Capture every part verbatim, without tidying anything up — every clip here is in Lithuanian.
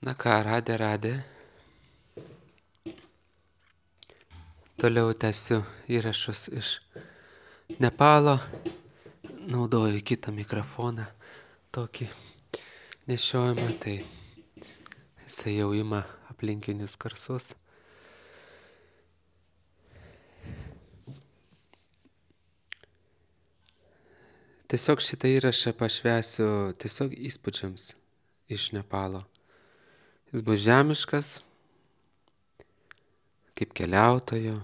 Na ką, radę, radę. Toliau tęsiu įrašus iš Nepalo. Naudoju kitą mikrofoną, tokį nešiojimą, tai jisai jau ima aplinkinius garsus. Tiesiog šitą įrašą pašvęsiu tiesiog įspūdžiams iš Nepalo. Jis bus žemiškas, kaip keliautojo,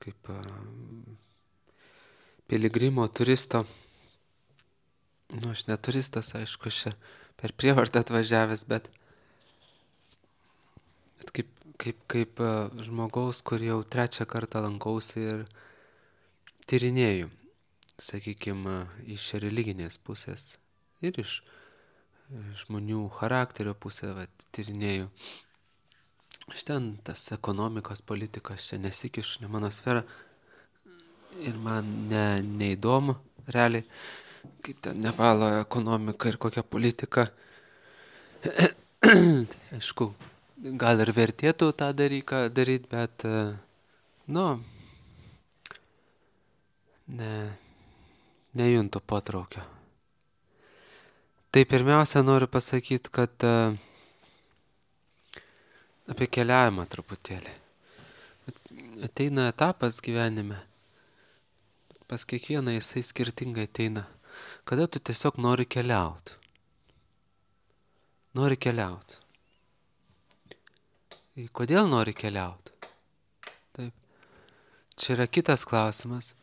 kaip uh, piligrimo, turisto. Nu, aš ne turistas, aišku, aš čia per prievartą atvažiavęs, bet, bet kaip, kaip, kaip uh, žmogaus, kur jau trečią kartą lankausi ir tyrinėju, sakykime, iš religinės pusės ir iš žmonių charakterio pusę, vat, tyrinėju. Aš ten tas ekonomikos politikas čia nesikišu, ne mano sfera ir man ne, neįdomu realiai, kaip ten Nepalo ekonomika ir kokia politika. Aišku, gal ir vertėtų tą dalyką daryti, bet, nu, ne, nejuntu potraukio. Tai pirmiausia noriu pasakyti, kad uh, apie keliavimą truputėlį. Ateina etapas gyvenime, pas kiekvieną jisai skirtingai ateina, kada tu tiesiog nori keliauti. Nori keliauti. Kodėl nori keliauti? Taip. Čia yra kitas klausimas,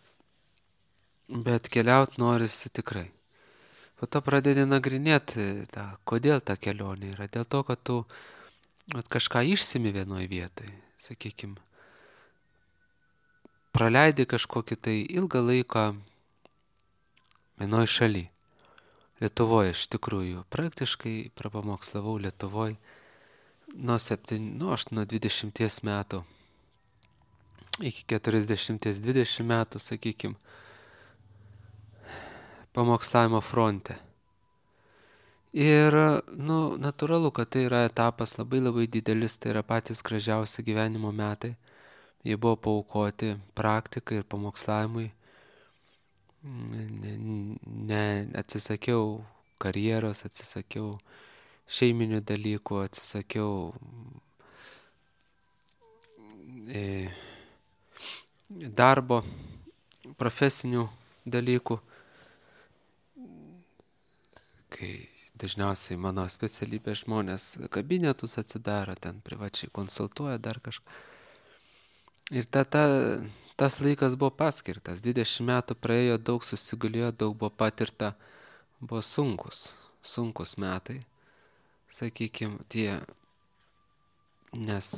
bet keliauti norisi tikrai. Po to pradedi nagrinėti, tą, kodėl ta kelionė yra. Dėl to, kad tu at, kažką išsimi vienoje vietoje, sakykime. Praleidi kažkokį tai ilgą laiką vienoje šaly. Lietuvoje iš tikrųjų. Praktiškai prapamokslavau Lietuvoje nuo, septyni, nu, aš nuo dvidešimties metų iki keturiasdešimties dvidešimt metų, sakykime, pamokslavimo fronte. Ir, nu, natūralu, kad tai yra etapas labai labai didelis, tai yra patys gražiausi gyvenimo metai. Jie buvo paaukoti praktikai ir pamokslavimui. Ne, ne, atsisakiau karjeros, atsisakiau šeiminių dalykų, atsisakiau e, darbo, profesinių dalykų. Kai dažniausiai mano specialybė žmonės kabinetus atsidaro, ten privačiai konsultuoja dar kažką. Ir ta, ta, tas laikas buvo paskirtas. dvidešimt metų praėjo, daug susigulėjo, daug buvo patirta, buvo sunkus, sunkus metai, sakykime, tie, nes,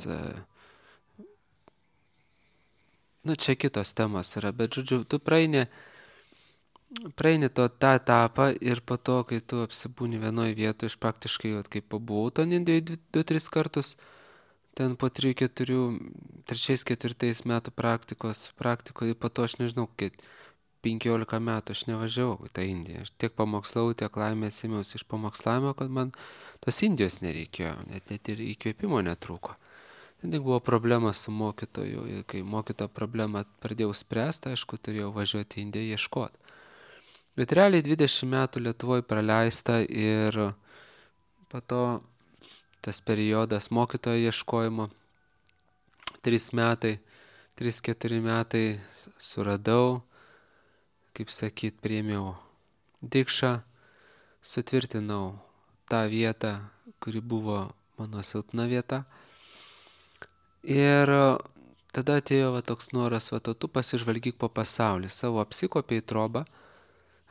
nu, čia kitos temos yra, bet, žodžiu, tu praeini, praeini to tą etapą ir po to, kai tu apsibūni vienoje vietoje, iš praktiškai, vat, kaip pabuvau to Indijoje du tris kartus, ten po trijų, keturių, trečiais, ketvirtais metų praktikos, praktikoje, po to aš nežinau, kiek penkiolika metų aš nevažiavau į tą Indiją. Aš tiek pamokslau, tiek laimės ėmiausi iš pamokslavimo, kad man tos Indijos nereikėjo, net, net ir įkvėpimo netrūko. Ten tik buvo problema su mokytoju, ir kai mokytojo problemą pradėjau spręsti, aišku, turėjau važiuoti į Indiją ieškoti. Bet realiai dvidešimt metų Lietuvoje praleista ir po to tas periodas mokytojo ieškojimo, trys metai, trys keturi metai suradau, kaip sakyt, priėmiau dikšą, sutvirtinau tą vietą, kuri buvo mano silpna vieta. Ir tada atėjo va, toks noras, va, tu pasižvalgyk po pasaulį, savo apsikopiai trobą,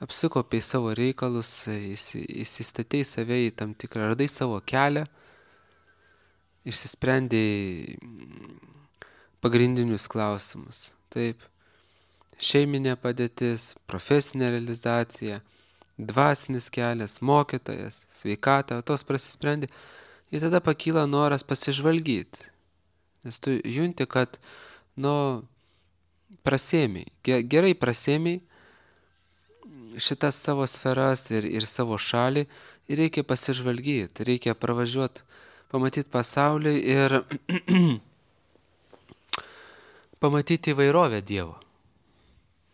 apsikopiai savo reikalus, įsistatei save į tam tikrą, radai savo kelią, išsisprendė pagrindinius klausimus. Taip, šeiminė padėtis, profesinė realizacija, dvasinis kelias, mokytojas, sveikata, tos prasisprendė. Ir tada pakyla noras pasižvalgyti. Nes tu junti, kad, nu, prasėmiai, gerai prasėmiai šitas savo sferas ir, ir savo šalį ir reikia pasižvalgyti, reikia pravažiuoti pamatyti pasaulį ir pamatyti įvairovę Dievo.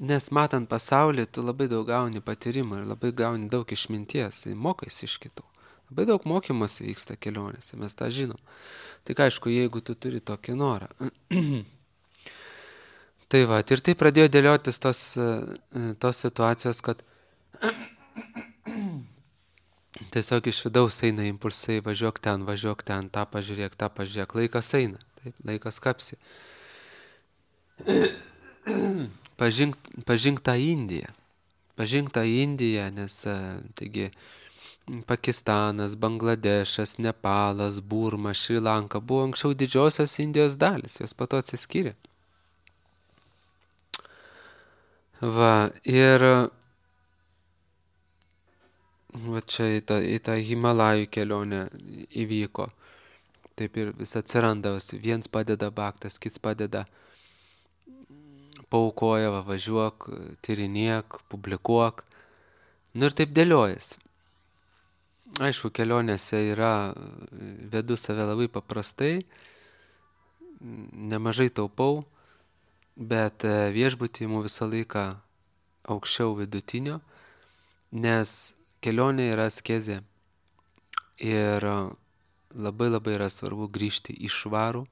Nes matant pasaulį, tu labai daug gauni patyrimą ir labai gauni daug išminties, mokais iš kitų. Labai daug mokymosi vyksta kelionėse, mes tą žinom. Tik aišku, jeigu tu turi tokį norą. Tai va, ir tai pradėjo dėliotis tos, tos situacijos, kad tiesiog iš vidaus eina impulsai, važiuok ten, važiuok ten, tą pažiūrėk, tą pažiūrėk, laikas eina, taip, laikas kapsi. Pažink, pažink tą Indiją, pažink tą Indiją, nes taigi Pakistanas, Bangladešas, Nepalas, Burma, Šri Lanka buvo anksčiau didžiosios Indijos dalis, jos po to atsiskyrė. Va, ir va čia į tą, į tą Himalajų kelionę įvyko. Taip ir vis atsiranda, viens padeda baktas, kits padeda, paukoja, va, važiuok, tyrinėk, publikuok. Nu ir taip dėliojasi. Aišku, kelionėse yra, vedu save labai paprastai, nemažai taupau, bet viešbutį imu visą laiką aukščiau vidutinio, nes kelionė yra askezė ir labai labai yra svarbu grįžti į švarų.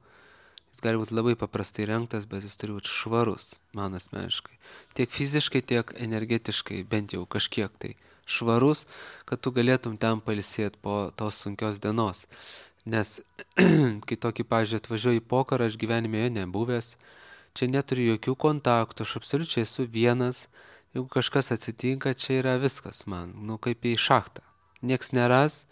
Jis gali būti labai paprastai rengtas, bet jis turi būti švarus, man asmeniškai. Tiek fiziškai, tiek energetiškai, bent jau kažkiek tai švarus, kad tu galėtum ten pailsėti po tos sunkios dienos. Nes kai tokį, pavyzdžiui, atvažiuoju į pokarą, aš gyvenime jo nebuvęs, čia neturiu jokių kontaktų, aš absoliučiai esu vienas, jeigu kažkas atsitinka, čia yra viskas man, nu kaip į šachtą. Nieks neras,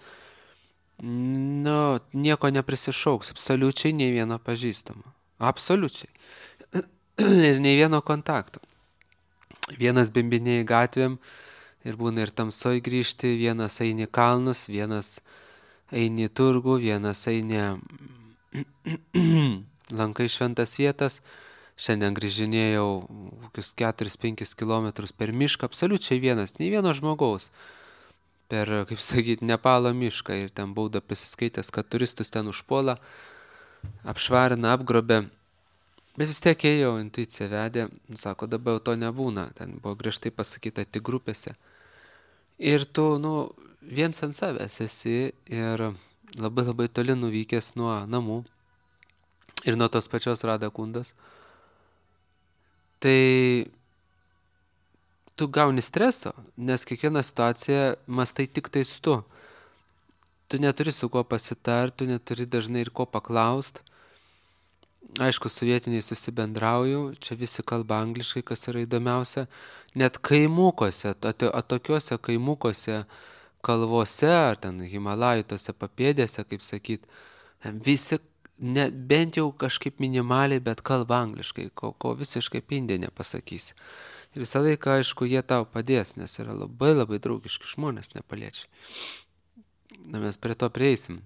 nu, nieko neprisišauks, absoliučiai nei vieno pažįstamo. Absoliučiai. Ir nei vieno kontakto. Vienas bimbinėjai gatvėm ir būna ir tamsoj grįžti, vienas eini kalnus, vienas eini turgų, vienas eini lankai šventas vietas. Šiandien grįžinėjau kokius keturis penkis kilometrus per mišką, absoliučiai vienas, nei vieno žmogaus. Per, kaip sakyti, Nepalo mišką ir ten bauda prisiskaitęs, kad turistus ten užpuola, apšvarina, apgrobė. Bet vis tiek ėjau, intuicija vedė, sako, dabar jau to nebūna, ten buvo griežtai pasakyta tik grupėse. Ir tu, nu, viens ant savęs esi ir labai labai toli nuvykęs nuo namų ir nuo tos pačios Radakundos. Tai tu gauni streso, nes kiekvieną situaciją mastai tik tais tu. Tu neturi su kuo pasitart, tu neturi dažnai ir ko paklaust. Aišku, su vietiniais susibendrauju, čia visi kalba angliškai, kas yra įdomiausia. Net kaimukuose, atokiuose kaimukuose, kalvose, ar ten Himalajų tose papėdėse, kaip sakyt, visi ne, bent jau kažkaip minimaliai, bet kalba angliškai, ko, ko visiškai pindė nepasakysi. Ir visą laiką, aišku, jie tau padės, nes yra labai labai draugiški žmonės nepaliečiai. Na, mes prie to prieisim.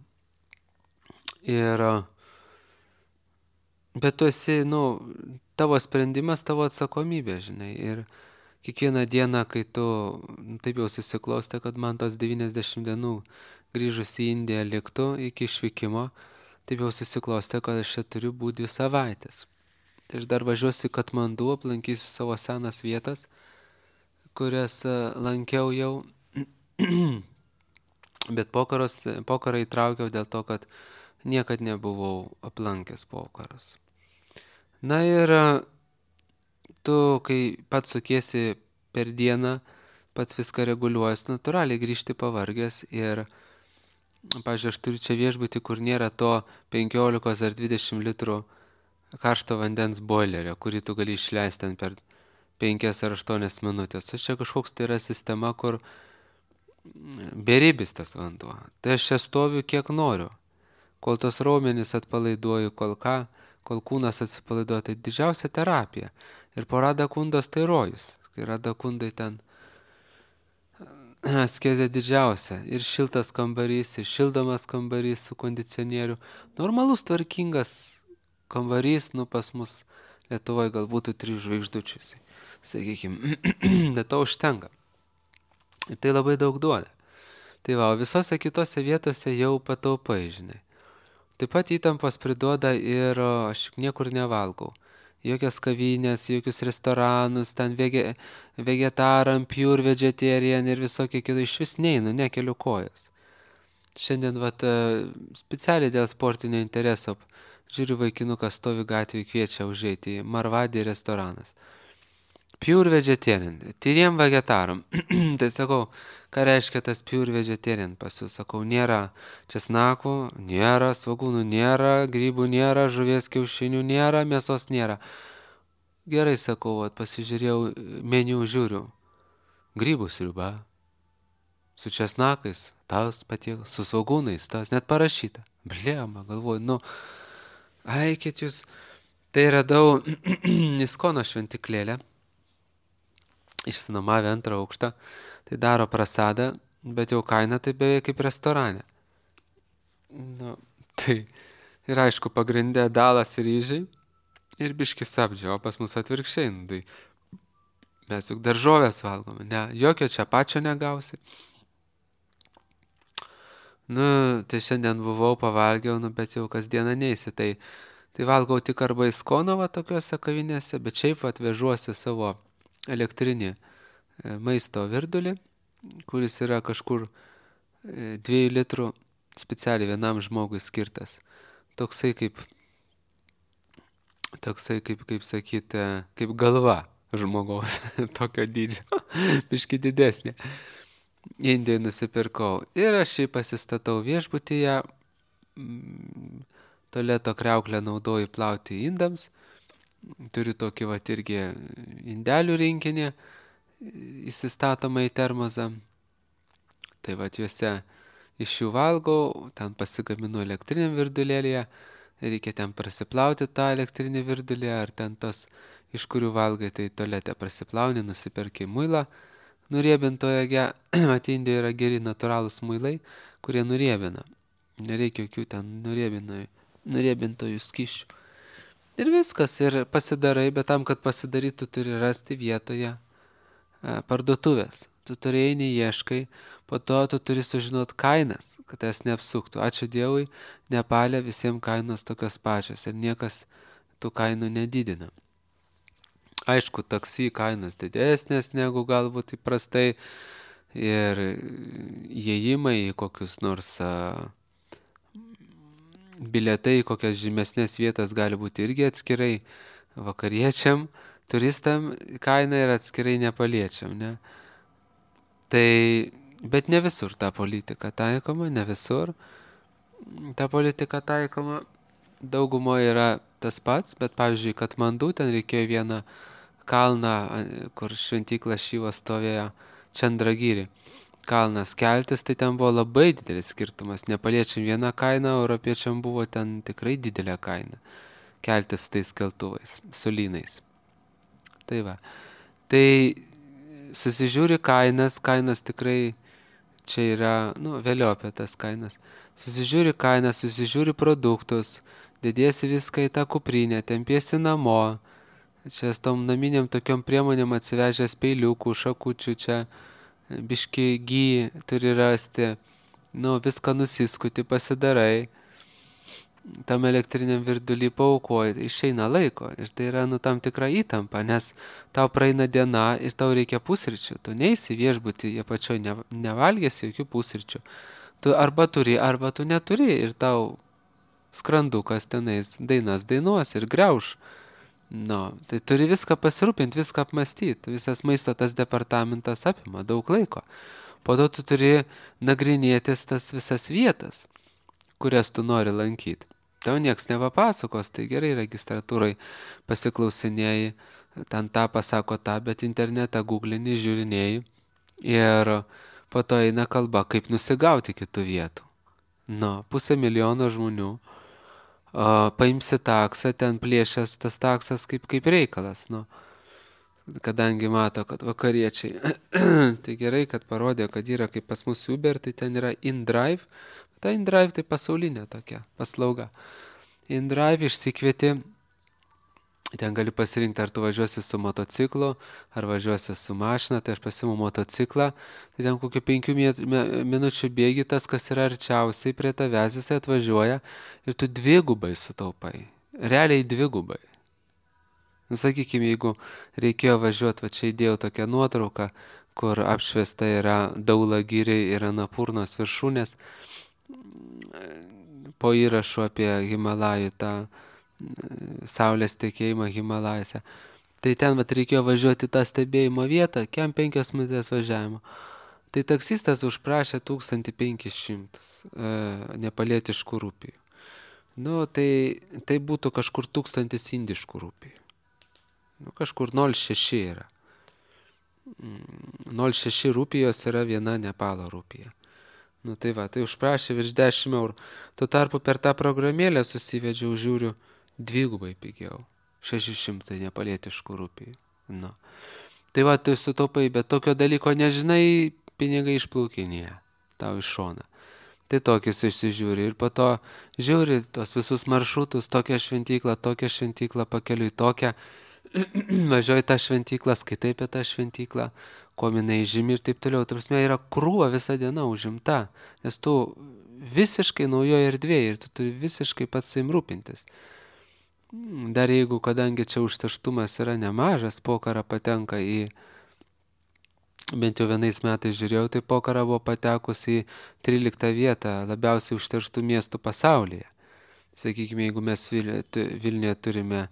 Ir, bet tu esi, nu, tavo sprendimas, tavo atsakomybė, žinai. Ir kiekvieną dieną, kai tu, taip jau susiklostė, kad man tos devyniasdešimt dienų grįžus į Indiją liktų iki išvykimo, taip jau susiklostė, kad aš čia turiu būti dvi savaitės. Tai aš dar važiuosiu į Katmandu, aplankysiu savo senas vietas, kurias lankiau jau, bet pokaros, pokarą įtraukiau dėl to, kad niekad nebuvau aplankęs pokaros. Na ir tu, kai pats sukiesi per dieną, pats viską reguliuojas, natūraliai grįžti pavargęs ir, pavyzdžiui, aš turiu čia viešbutį, kur nėra to penkiolikos ar dvidešimt litrų karšto vandens boilerio, kurį tu gali išleisti ten per penkias ar aštuonias minutės. Tai čia kažkoks tai yra sistema, kur beribis tas vanduo. Tai aš čia stoviu kiek noriu. Kol tos raumenys atpalaiduoju, kol ką, kol kūnas atsipalaiduoja, tai didžiausia terapija. Ir po Radakundos tai rojus. Kai Radakundai ten askezė didžiausia. Ir šiltas kambarys, ir šildomas kambarys su kondicionieriu. Normalus, tvarkingas kambarys, nu pas mus Lietuvoje gal būtų trijų žvaigždučių, sakykime, bet to užtenka. Ir tai labai daug duoda. Tai va, visose kitose vietose jau pataupai, žinai. Taip pat įtampos priduoda ir o, aš niekur nevalgau. Jokias kavinės, jokius restoranus, ten vege, vegetaram, pure vegetarian ir visokie kitai, iš vis neinu, nekeliu kojas. Šiandien vat, e, specialiai dėl sportinio intereso žiūriu, vaikinukas stovi gatvėje, kviečia užeiti į Marvadį restoranas. Pure vegetarian, tyriem vegetaram. Tai sakau, ką reiškia tas pure vegetarian pas jūs? Sakau, nėra česnakų, nėra svogūnų, nėra grybų, nėra žuvies kiaušinių, nėra mėsos, nėra. Gerai, sakau, vat, pasižiūrėjau meniu, žiūriu. Grybų sriuba, su česnakais, tas patiekalas, su svogūnais, tas net parašyta. Blema, galvoju, nu, aikit jūs. Tai radau Iskono šventiklėlę, išsinomavę antrą aukštą, tai daro prasadą, bet jau kaina tai beveik kaip restorane. Nu, tai ir aišku, pagrindė dalas ryžiai ir biški sabdžio, o pas mus atvirkščiai, nu, tai mes juk daržovės valgome, ne, jokio čia pačio negausi. Nu, tai šiandien buvau, pavalgiau, nu, bet jau kasdieną neisi, tai, tai valgau tik arba Iskono va tokiuose kavinėse, bet šiaip atvežuosi savo elektrinį e, maisto virdulį, kuris yra kažkur e, dviejų litrų specialiai vienam žmogui skirtas. Toksai kaip, toksai kaip, kaip sakyti, kaip galva žmogaus, tokio dydžio, biški didesnė. Indijoje nusipirkau ir aš jį pasistatau viešbutyje, mm, tualeto kriauklę naudoju plauti indams, turiu tokį va irgi indelių rinkinį įsistatomą į termozą, tai va juose iš jų valgau, ten pasigaminu elektriniam virdulėlėje, reikia ten prasiplauti tą elektrinį virdulį, ar ten tas, iš kurių valgai, tai tualete prasiplauni, nusiperki muilą, nuriebintoje, mat Indijoje yra geri natūralūs muilai, kurie nuriebina. Nereikia jokių ten nuriebintojų skyšių. Ir viskas, ir pasidarai, bet tam, kad pasidarytų, turi rasti vietoje parduotuvės. Tu turi eini, ieškai, po to tu turi sužinot kainas, kad jas neapsuktų. Ačiū Dievui, Nepale visiems kainos tokios pačios ir niekas tų kainų nedidina. Aišku, taksi kainos didesnės negu galbūt įprastai ir įėjimai į kokius nors a, bilietai, į kokias žymesnės vietas gali būti irgi atskirai vakariečiam, turistam kaina yra atskirai nepaliečiam, ne? Tai, bet ne visur ta politika taikoma, ne visur ta politika taikoma, daugumo yra tas pats, bet pavyzdžiui, Katmandu ten reikėjo vieną kalną, kur šventykla Šyva stovėjo, Čandragiri kalnas keltis, tai ten buvo labai didelis skirtumas. Nepaliečiam vieną kainą, europiečiam buvo ten tikrai didelė kaina. Keltis su tais keltuvais, su lynais. Tai va. Tai susižiūri kainas, kainas tikrai čia yra, nu, vėliau apie tas kainas. Susižiūri kainas, susižiūri produktus, dėdėsi viską į tą kuprinę, tempiesi namo. Čia su tom naminiam tokiom priemonėm atsivežęs peiliukų, šakučių, čia biški gy turi rasti, nu, viską nusiskuti, pasidarai, tam elektriniam virdulį paukoji, išeina laiko ir tai yra, nu, tam tikra įtampa, nes tau praeina diena ir tau reikia pusryčių, tu neisi viešbutį, jie pačioj ne, nevalgėsi jokių pusryčių, tu arba turi, arba tu neturi ir tau skrandukas tenais dainas dainuos ir greuš. Nu, tai turi viską pasirūpinti, viską apmastyti. Visas maisto tas departamentas apima daug laiko. Po to tu turi nagrinėtis tas visas vietas, kurias tu nori lankyti. Tau nieks nepapasakos, tai gerai registratūrai pasiklausinėjai, ten tą pasako tą, bet internetą googlini, žiūrinėjai ir po to eina kalba, kaip nusigauti kitų vietų. Nu, pusę milijono žmonių. O, paimsi taksą, ten plėšęs tas taksas kaip, kaip reikalas, nu, kadangi mato, kad vakariečiai, tai gerai, kad parodė, kad yra kaip pas mus Uber, tai ten yra InDrive, ta InDrive tai pasaulinė tokia paslauga. InDrive išsikvieti Ten gali pasirinkti, ar tu važiuosi su motociklu, ar važiuosi su mašina, tai aš pasiimu motociklą, tai ten kokių penkių minučių bėgi tas, kas yra arčiausiai prie tavęs, jisai atvažiuoja ir tu dvigubai sutaupai. Realiai dvigubai. Nu, sakykime, jeigu reikėjo važiuoti, va čia įdėjau tokią nuotrauką, kur apšviesta yra Daulagiriai ir Anapurnos viršūnės, po įrašu apie Himalajų tą saulės tekėjimą Himalajose. Tai ten vat reikėjo važiuoti tą stebėjimo vietą, kem penkias minutės važiavimo. Tai taksistas užprašė tūkstantį penkis šimtus e, nepalietiškų rupijų. Nu, tai, tai būtų kažkur tūkstantis indiškų rupijų. Nu, kažkur nol šeši yra. nol šeši rupijos yra viena Nepalo rupija. Nu tai va, tai užprašė virš dešimt eurų. Tuo tarpu per tą programėlę susivedžiau, žiūriu, dvigubai pigiau. šeši šimtai nepalietiškų rupijų. Nu. Tai va, tu sutaupai, bet tokio dalyko nežinai, pinigai išplaukinėja tau iš šoną. Tai tokius išsižiūri ir po to žiūri tos visus maršrutus, tokią šventyklą, tokią šventyklą, pakeliui tokią. Važiuoji tą šventyklą, skaitai apie tą šventyklą, kuo jinai žymi ir taip toliau. Tai prasme, yra krūva visą dieną užimta, nes tu visiškai naujoje erdvėje ir tu turi visiškai pats savim rūpintis. Dar jeigu, kadangi čia užterštumas yra nemažas, Pokhara patenka į, bent jau vienais metais žiūrėjau, tai Pokhara buvo patekus į tryliktą vietą labiausiai užterštų miestų pasaulyje. Sakykime, jeigu mes Vilniuje turime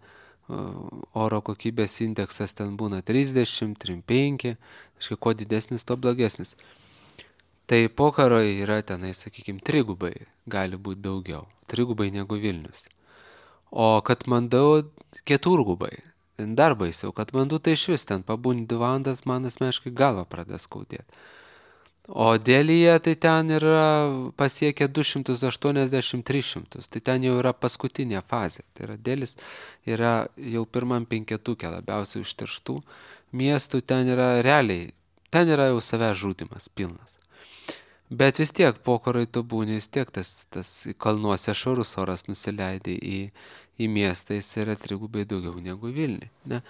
oro kokybės indeksas, ten būna trisdešimt, trisdešimt penki, aiškiai, kuo didesnis, to blogesnis. Tai Pokharoje yra tenai, sakykime, trigubai, gali būti daugiau, trigubai negu Vilnius. O Katmandu keturgubai, ten dar baisiau, Katmandu tai iš vis ten pabūni dvi valandas, man asmeniškai galva pradės skaudėti. O Delyje tai ten yra pasiekę du šimtus aštuoniasdešimt tris šimtus, tai ten jau yra paskutinė fazė. Tai yra Delis yra jau pirmam penketuke labiausiai užterštų miestų, ten yra realiai, ten yra jau savęs žudimas pilnas. Bet vis tiek Pokharoj tu būni, vis tiek tas, tas kalnuose švarus oras nusileidai į, į miestą, jis yra trigubai daugiau negu Vilniuje. Ne?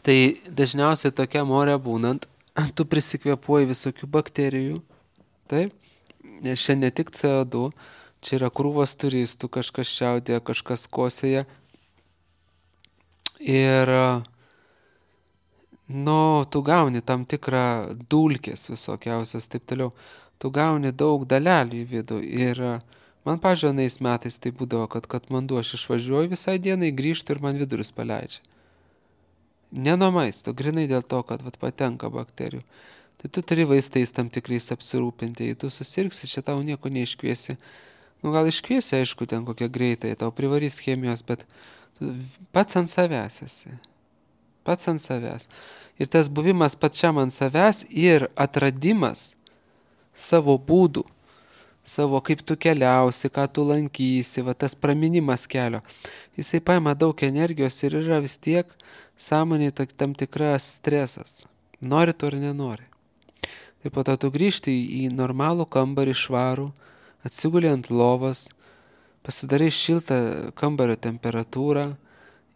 Tai dažniausiai tokiam ore būnant, tu prisikvėpuoji visokių bakterijų, taip, nes čia ne tik C O du, čia yra krūvos turistų, kažkas čiaudėja, kažkas kosėja. Ir, nu, tu gauni tam tikrą dulkės visokiausios, taip toliau. Tu gauni daug dalelių į vidų. Ir man, pavyzdžiui, anais metais tai būdavo, kad Katmandu aš išvažiuoju visai dienai, grįžtu ir man vidurius paleidžia. Ne nuo maisto, grinai dėl to, kad vat, patenka bakterijų. Tai tu turi vaistais tam tikrais apsirūpinti, jei tu susirgsi, čia tau nieko neiškviesi. Nu gal iškviesi, aišku, ten kokią greitai, tau privarys chemijos, bet pats ant savęs esi. Pats ant savęs. Ir tas buvimas pačiam ant savęs ir atradimas savo būdų, savo kaip tu keliausi, ką tu lankysi, va tas praminimas kelio, jisai paima daug energijos ir yra vis tiek sąmonėje tam tikras stresas. Nori to ar nenori. Tai po to tu grįžti į normalų kambarį švarų, atsiguli ant lovos, pasidarai šiltą kambario temperatūrą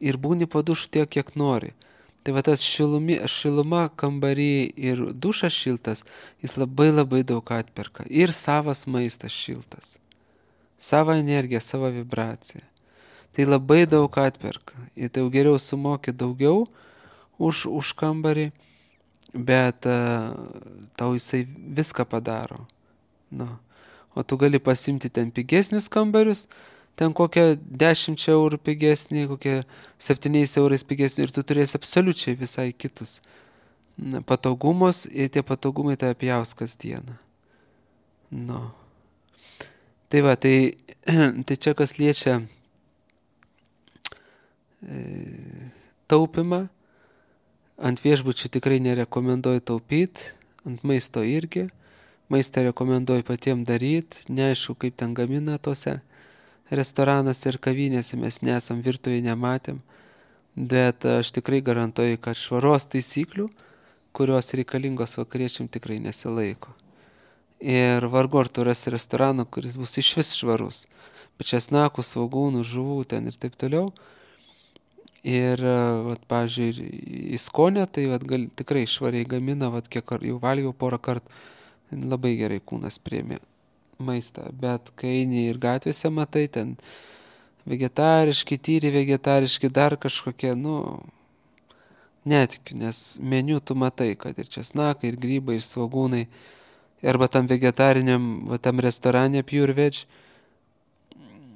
ir būni po dušu tiek, kiek nori. Tai va tas šilumi, šiluma kambarį ir dušas šiltas, jis labai labai daug atperka. Ir savas maistas šiltas. Sava energija, sava vibracija. Tai labai daug atperka. Ir tai jau geriau sumoki daugiau už, už kambarį, bet uh, tau jisai viską padaro. Nu. O tu gali pasimti ten pigesnius kambarius, ten kokią dešimt eurų pigesnį, kokią septyniais eurais pigesnį ir tu turėsi absoliučiai visai kitus patogumus ir tie patogumai tave pjaus kasdieną. Nu. Tai va, tai, tai čia kas liečia e, taupimą, ant viešbučių tikrai nerekomenduoju taupyti, ant maisto irgi, maistą rekomenduoju patiems daryti, neaišku kaip ten gamina tose restoranuose ir kavinėse, mes nesam virtuvėje nematėm, bet aš tikrai garantuoju, kad švaros taisyklių, kurios reikalingos vakariečiam, tikrai nesilaiko. Ir vargu ar tu rasi restoraną, kuris bus iš vis švarus, bet česnakų, svogūnų, žuvų ten ir taip toliau. Ir, vat, pavyzdžiui, į skonę, tai vat, gal, tikrai švariai gamina, vat, kiek jau valgiau porą kartų, labai gerai kūnas priėmė maistą. Bet kai eini ir gatvėse matai, ten vegetariški, tyri vegetariški, dar kažkokie, nu, netikiu, nes meniu tu matai, kad ir česnakai, ir grybai, ir svogūnai. Arba tam vegetariniam, va, tam restorane Pure Veg,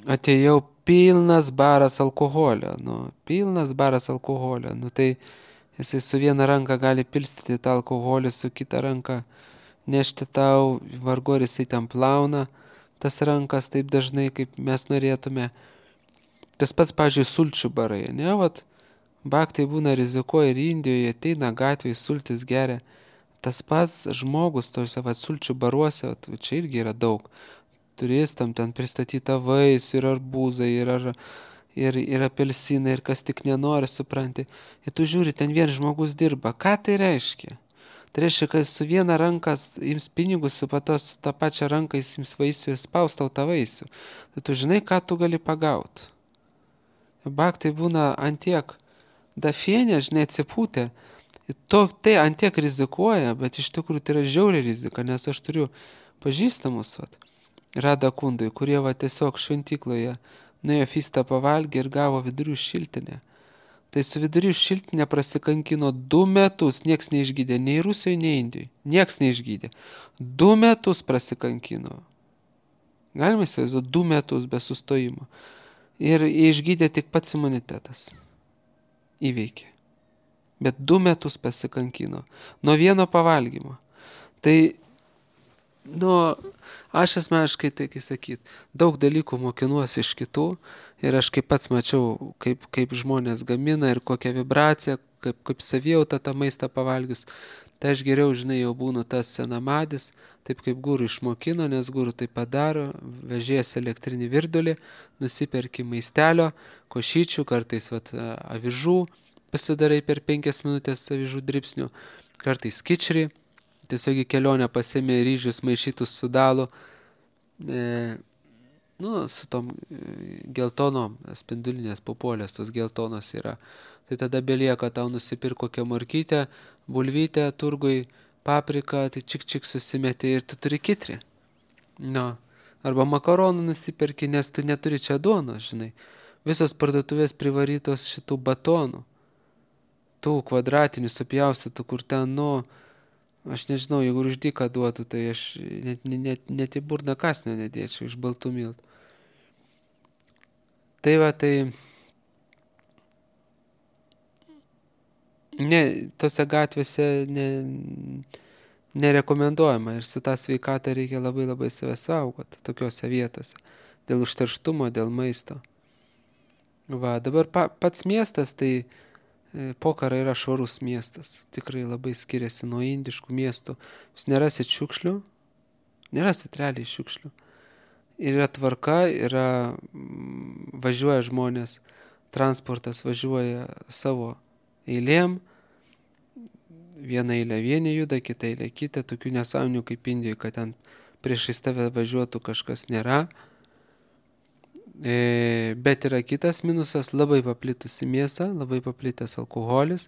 atėjau pilnas baras alkoholio, nu, pilnas baras alkoholio, nu, tai jisai su viena ranka gali pilstyti tą alkoholį, su kita ranka nešti tau, vargu ar jisai ten plauna tas rankas taip dažnai, kaip mes norėtume. Tas pats, pavyzdžiui, sulčių barai, ne, vat, baktai būna rizikuoja ir Indijoje, ateina gatvėje, sultis geria. Tas pats žmogus tose vat, sulčių baruose, vat, čia irgi yra daug. Turistam ten pristatyta vaisių ir arbūzai, ir, ar, ir, ir apelsinai, ir kas tik nenori, supranti. Ir tu žiūri, ten vien žmogus dirba. Ką tai reiškia? Tai reiškia, kad su viena ranka ims pinigus, su patos tą pačią ranką jis ims vaisių ir spaus tau tą vaisių. Tai tu žinai, ką tu gali pagauti. Baktai būna antiek dafienė, žinai, atsipūtė. To, tai antiek rizikuoja, bet iš tikrųjų tai yra žiauriai rizika, nes aš turiu pažįstamus, vat, Rada kundai, kurie va tiesiog šventykloje nuėjo fistą pavalgė ir gavo vidurių šiltinę. Tai su vidurių šiltinė prasikankino du metus, nieks neišgydė, nei Rusijoje, nei Indijoje. Nieks neišgydė. Du metus prasikankino. Galima įsivaizduoti, du metus be sustojimo. Ir išgydė tik pats imunitetas. Įveikė. Bet du metus pasikankino. Nuo vieno pavalgymo. Tai, nu, aš asmeniškai, tai kai sakyt, daug dalykų mokinuosi iš kitų ir aš kaip pats mačiau, kaip, kaip žmonės gamina ir kokią vibraciją, kaip, kaip savijauta tą maistą pavalgius. Tai aš geriau, žinai, jau būnu tas senamadis, taip kaip gūrų išmokino, nes gūrų tai padaro, vežėjas elektrinį virdulį, nusiperki maistelio, košyčių, kartais vat, avižų, pasidarai per penkias minutės avižų dribsnių, kartais kičrį, tiesiog į kelionę pasiėmė ryžius maišytus su dalu, e, nu, su tom geltonom, spindulinės papuolės, tos geltonos yra. Tai tada belieka tau nusipirk kokią morkytę, bulvytę, turgui, papriką, tai čik čik susimeti ir tu turi kitrį. No. Arba makaronų nusipirki, nes tu neturi čia duonos, žinai. Visos parduotuvės privarytos šitų batonų. Tų kvadratinių supjaustytų, kur ten, nu, aš nežinau, jeigu už dyką duotų, tai aš net, net, net į burną kasnio nedėčiau iš baltų miltų. Tai va, tai ne, tose gatvėse ne, nerekomenduojama ir su tą sveikatą reikia labai labai save saugoti tokiose vietose. Dėl užterštumo, dėl maisto. Va, dabar pa, pats miestas, tai Pokhara yra švarus miestas, tikrai labai skiriasi nuo indiškų miestų. Jūs nerasit šiukšlių, nerasit realiai šiukšlių. Ir yra tvarka, yra, važiuoja žmonės, transportas važiuoja savo eilėm, viena eilė vieni juda, kita eilė kita, tokių nesąmonių kaip Indijoje, kad ten priešais tave važiuotų kažkas nėra. Bet yra kitas minusas, labai paplitusi mėsa, labai paplitęs alkoholis,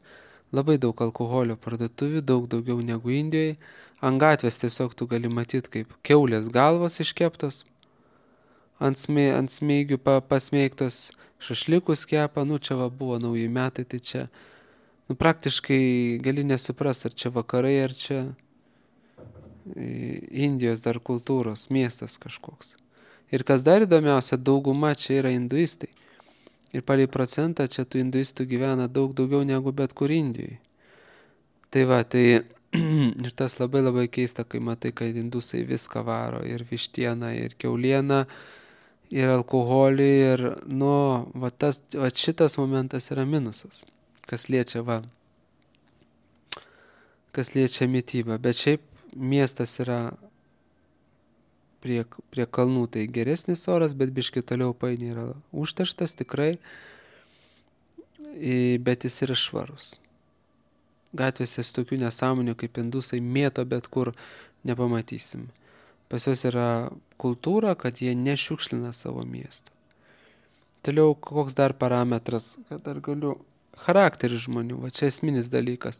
labai daug alkoholio parduotuvių, daug daugiau negu Indijoje. Ant gatvės tiesiog tu gali matyti, kaip kiaulės galvos iškeptos, ant, smė, ant smėgių pa, pasmeigtos, šašlikus kepa, nu čia va buvo nauji metai, tai čia nu, praktiškai gali nesuprast, ar čia vakarai, ar čia Indijos dar kultūros miestas kažkoks. Ir kas dar įdomiausia, dauguma čia yra hinduistai. Ir palei procentą čia tų hinduistų gyvena daug daugiau negu bet kur Indijoje. Tai va, tai ir tas labai labai keista, kai matai, kad hindusai viską varo. Ir vištieną, ir kiaulieną, ir alkoholį. Ir, nu, va, tas, va šitas momentas yra minusas. Kas liečia, va, kas liečia mitybą. Bet šiaip miestas yra Prie, prie kalnų tai geresnis oras, bet biški toliau paini yra užterštas tikrai, bet jis yra švarus. Gatvėse su tokių nesąmonių kaip indusai mėto, bet kur nepamatysim. Pas juos yra kultūra, kad jie nešiukšlina savo miesto. Toliau koks dar parametras, kad dar galiu. Charakteris žmonių, va čia esminis dalykas.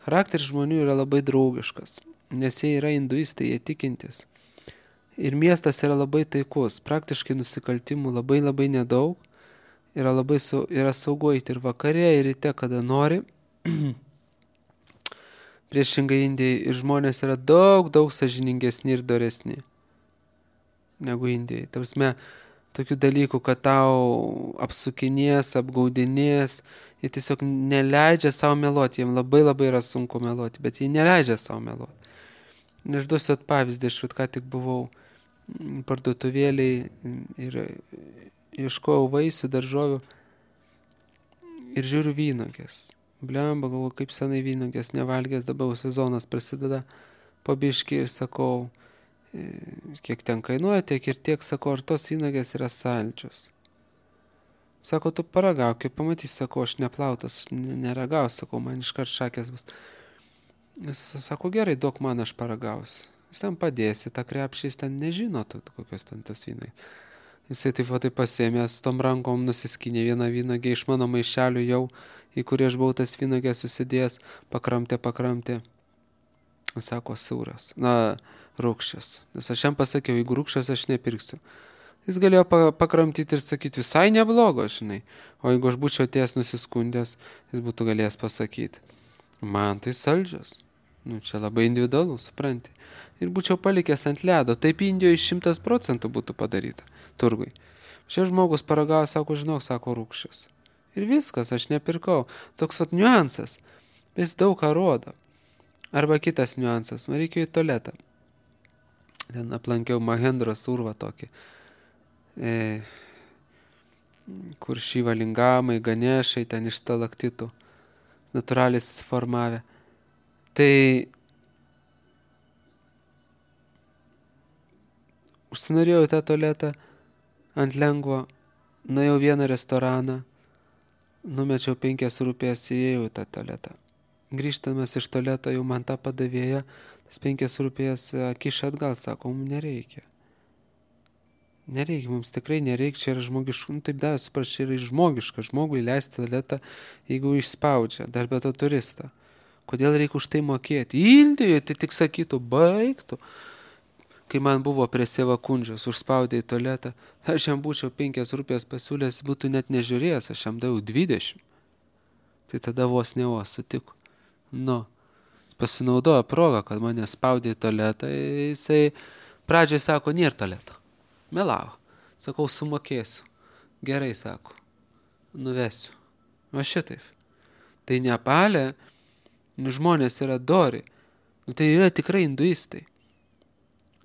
Charakteris žmonių yra labai draugiškas, nes jie yra hinduistai, jie tikintis. Ir miestas yra labai taikus, praktiškai nusikaltimų labai labai nedaug, yra labai sau, yra saugu eiti ir vakare, ir ryte, kada nori. Priešingai Indijai ir žmonės yra daug, daug sąžiningesni ir doresni negu Indijai. Tarsime, tokių dalykų, kad tau apsukinės, apgaudinės, jie tiesiog neleidžia savo meluoti, jiems labai labai yra sunku meluoti, bet jie neleidžia savo meluoti. Aš duosiu pavyzdį, aš ką tik buvau parduotuvėliai ir ieškojau vaisių, daržovių ir žiūriu vynogės. Blemba, galvoju, kaip senai vynogės nevalgęs, dabar sezonas prasideda po biškį ir sakau, kiek ten kainuoja, tiek ir tiek, sakau, ar tos vynogės yra saldžios. Sako, tu paragauk, kaip pamatys, sakau, aš neplautas, neragau, sakau, man iškart šakės bus. Jis sako, gerai, duok man, aš paragausiu. Jis ten padėsi, tą krepšį, jis ten nežino, kokios ten tas vynai. Jisai taip va taip pasėmė, su tom rankom nusiskinė vieną vynogę iš mano maišelių jau, į kurį aš buvau tas vynogės susidėjęs, pakramtė, pakramtė. Sako, siauras, na, rūkščias. Nes aš jam pasakiau, jeigu rūkščias, aš nepirksiu. Jis galėjo pakramtyti ir sakyti, visai neblogo, žinai. O jeigu aš būčiau atėjęs nusiskundęs, jis būtų galėjęs pasakyti, man tai saldžios. Nu, čia labai individualu, supranti. Ir būčiau palikęs ant ledo. Taip Indijoje šimtas procentų būtų padaryta turgui. Šia žmogus paragavo, sako, žinok, sako, rūkščias. Ir viskas, aš nepirkau. Toks vat niuansas. Jis daug ką rodo. Arba kitas niuansas. Man reikėjo į tualetą. Ten aplankiau Mahendros urvą tokį. E, kur Šivalingamai, Ganešai, ten iš stalaktitų. Natūraliai susiformavę. Tai užsinorėjau į tą tualetą ant lengvo, nuėjau vieną restoraną, numečiau penkias rupijas, įėjau į tą tualetą. Grįžtamas iš tualeto jau man tą padavėja, tas penkias rupijas kiša atgal, sako, mums nereikia. Nereikia, mums tikrai nereikia, čia yra žmogiška, nu taip davė, supras, čia yra žmogiška, žmogui leisti tualetą, jeigu išspaudžia, dar be to turistą. Kodėl reikia už tai mokėti? Indijoje tai tik sakytų, baigtų. Kai man buvo prie Sevakundžios, užspaudė į tualetą, aš jam būčiau penkias rupijas pasiūlęs, būtų net nežiūrėjęs, aš jam daviau dvidešimt. Tai tada vos ne vos sutiko. Nu, pasinaudojo progą, kad mane spaudė į tualetą, jisai pradžiai sako, nėra tualeto. Melavo. Sakau, sumokėsiu. Gerai, sako, nuvesiu. O šitaip. Tai Nepale, nu, žmonės yra dori. Nu, tai yra tikrai hinduistai.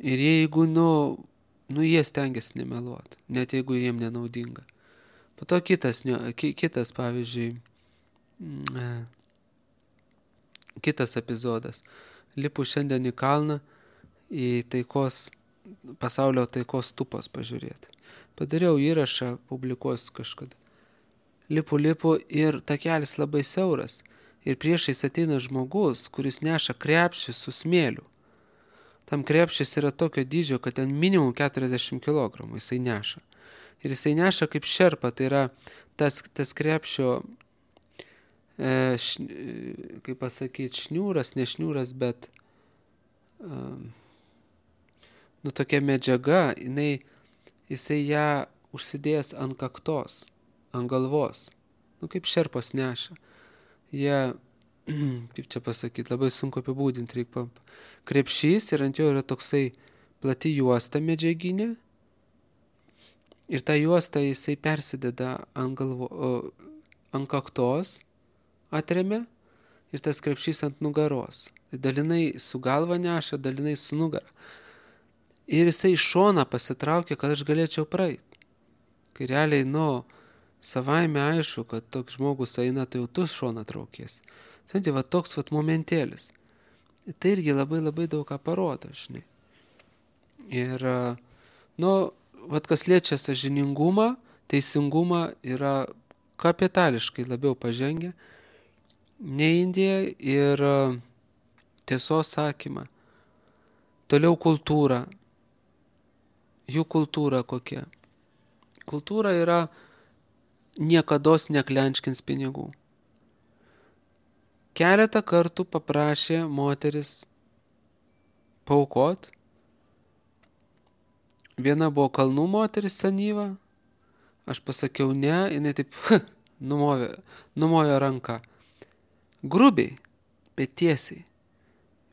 Ir jeigu, nu, nu jie stengiasi nemeluoti, net jeigu jiem nenaudinga. Po to kitas, kitas pavyzdžiui, kitas epizodas. Lipu šiandien į kalną, į taikos, pasaulio taikos stupos pažiūrėti. Padariau įrašą, publikuosiu kažkada. Lipu, lipu ir takelis labai siauras. Ir priešais ateina žmogus, kuris neša krepšį su smėliu. Tam krepšis yra tokio dydžio, kad ten minimum keturiasdešimt kilogramų jisai neša. Ir jisai neša kaip šerpa, tai yra tas, tas krepšio, e, š, kaip pasakyti, šniūras, ne šniūras, bet e, nu tokia medžiaga, jinai, jisai ją užsidėjęs ant kaktos, ant galvos, nu kaip šerpos neša. Jie, kaip čia pasakyti, labai sunku apibūdinti, reikia krepšys ir ant jo yra toksai plati juosta medžiaginė ir tą juostą jisai persideda ant, galvo, ant kaktos, atremia ir tas krepšys ant nugaros. Dalinai su galva neša, dalinai su nugara. Ir jisai iš šoną pasitraukia, kad aš galėčiau praeiti. Kai realiai, nu, savaime aišku, kad toks žmogus eina, tai jau tu šoną traukiesi. Tai va toks vat momentėlis. Tai irgi labai labai daug ką parodo, žinai. Ir, nu, vat kas liečia sąžiningumą, teisingumą yra kapitališkai labiau pažengę nei Indija ir tiesos sakymą. Toliau kultūra. Jų kultūra kokia? Kultūra yra niekados neklenčkins pinigų. Keletą kartų paprašė moteris paaukot. Viena buvo kalnų moteris senyva, aš pasakiau ne, jinai taip numovė, numojo ranką. Grubiai, bet tiesiai.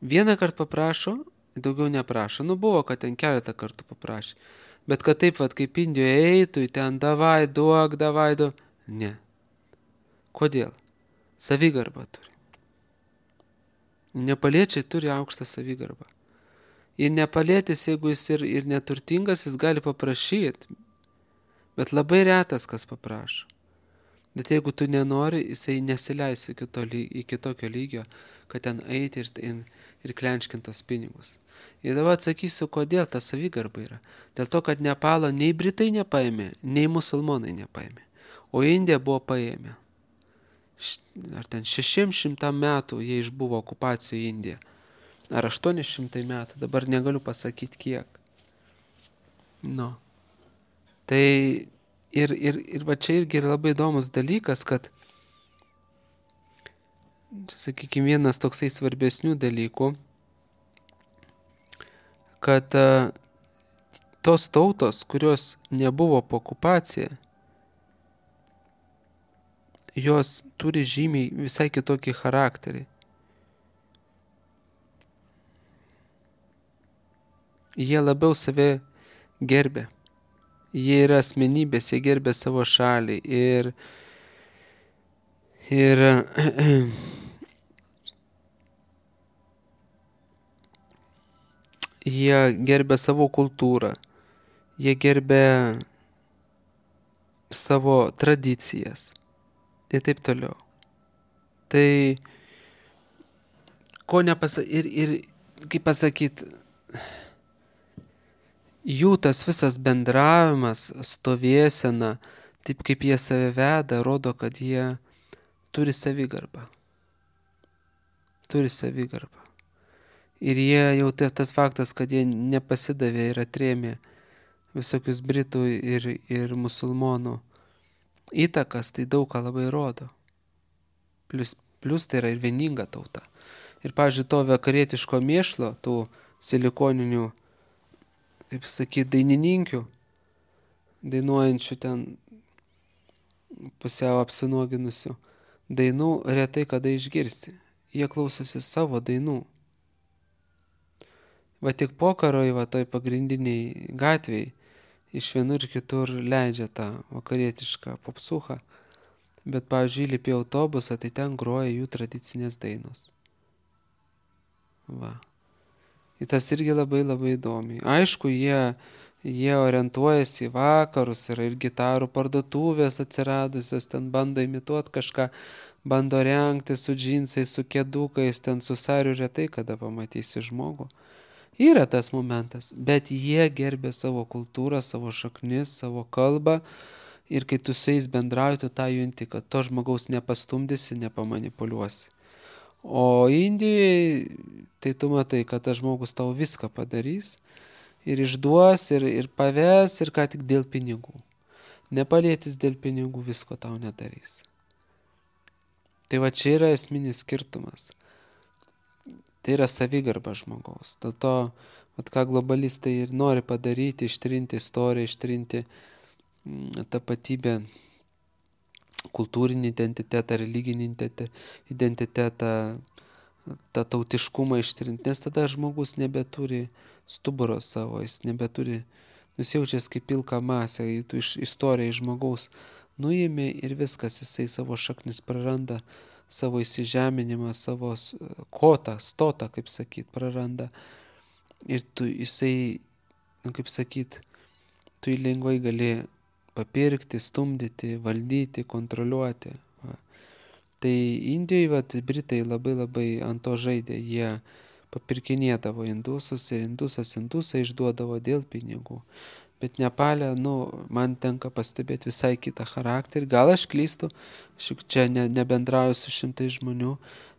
Vieną kartą paprašo, daugiau neprašo. Nu buvo, kad ten keletą kartų paprašė. Bet kad taip, vat, kaip Indijoje eitų, ten davai, duok, davai, duok. Ne. Kodėl? Savigarbą turi. Nepaliečiai turi aukštą savigarbą. Ir nepalietis, jeigu jis ir, ir neturtingas, jis gali paprašyti. Bet labai retas, kas paprašo. Bet jeigu tu nenori, jisai nesileis iki, to, iki tokio lygio, kad ten eiti ir, ir, ir klenčkintos pinigus. Ir dabar atsakysiu, kodėl ta savigarba yra. Dėl to, kad Nepalo nei Britai nepaėmė, nei musulmonai nepaėmė. O Indija buvo paėmė. Ar ten šešiems šimtam metų jie išbuvo okupacijoje Indija. Ar aštuoni šimtai metų, dabar negaliu pasakyti kiek. Nu. Tai ir, ir, ir va čia irgi yra labai įdomus dalykas, kad, sakykime, vienas toksai svarbesnių dalykų, kad uh, tos tautos, kurios nebuvo po okupacija, jos turi žymiai visai kitokį charakterį. Jie labiau save gerbė. Jie yra asmenybės, jie gerbė savo šalį ir, ir jie gerbė savo kultūrą, jie gerbė savo tradicijas ir taip toliau. Tai ko nepasa... Ir, ir kaip pasakyti, jų tas visas bendravimas, stovėsena, taip kaip jie save veda, rodo, kad jie turi savigarbą. Turi savigarbą. Ir jie jau tas faktas, kad jie nepasidavė ir atrėmė visokius britų ir, ir musulmonų įtakas, tai daug ką labai rodo. Plus, plus tai yra ir vieninga tauta. Ir, pavyzdžiui, to vakarietiško mėšlo, tų silikoninių, kaip sakyti, dainininkių, dainuojančių ten pusiau apsinuoginusių dainų, retai kada išgirsti. Jie klausosi savo dainų. Va tik pokaroj, va toj pagrindiniai gatviai, iš vienur ir kitur leidžia tą vakarietišką popsuchą, bet, pavyzdžiui, įlipi į autobusą, tai ten groja jų tradicinės dainos. Va. Ir tas irgi labai labai įdomiai. Aišku, jie, jie orientuojasi į vakarus, yra ir gitarų parduotuvės atsiradusios, ten bando imituoti kažką, bando rengti su džinsais, su kėdukais, ten su sariu, retai kada pamatysi žmogų. Yra tas momentas, bet jie gerbė savo kultūrą, savo šaknis, savo kalbą ir kai tu su jais bendrauji, tu tą junti, kad to žmogaus nepastumdysi, nepamanipuliuosi. O Indijoje, tai tu matai, kad tas žmogus tau viską padarys ir išduos, ir, ir paves, ir ką tik dėl pinigų. Nepalėtis dėl pinigų visko tau nedarys. Tai va čia yra esminis skirtumas. Tai yra savigarba žmogaus. Dėl to, vat, ką globalistai ir nori padaryti, ištrinti istoriją, ištrinti tapatybę, kultūrinį identitetą, religinį identitetą, tą tautiškumą ištrinti, nes tada žmogus nebeturi stuburo savo, jis nebeturi, nusijaučias kaip pilka masė, tu iš istorijai žmogaus nuėmė ir viskas, jisai savo šaknis praranda, savo įsižeminimą, savo kotą, stotą, kaip sakyt, praranda. Ir tu jisai, nu, kaip sakyt, tu jį lengvai gali papirkti, stumdyti, valdyti, kontroliuoti. Va. Tai Indijoje, vat, Britai labai labai ant to žaidė, jie papirkinėdavo indusus ir indusas indusą išduodavo dėl pinigų. Bet Nepale, nu, man tenka pastebėti visai kitą charakterį. Gal aš klystu, aš čia ne, nebendrauju su šimtai žmonių,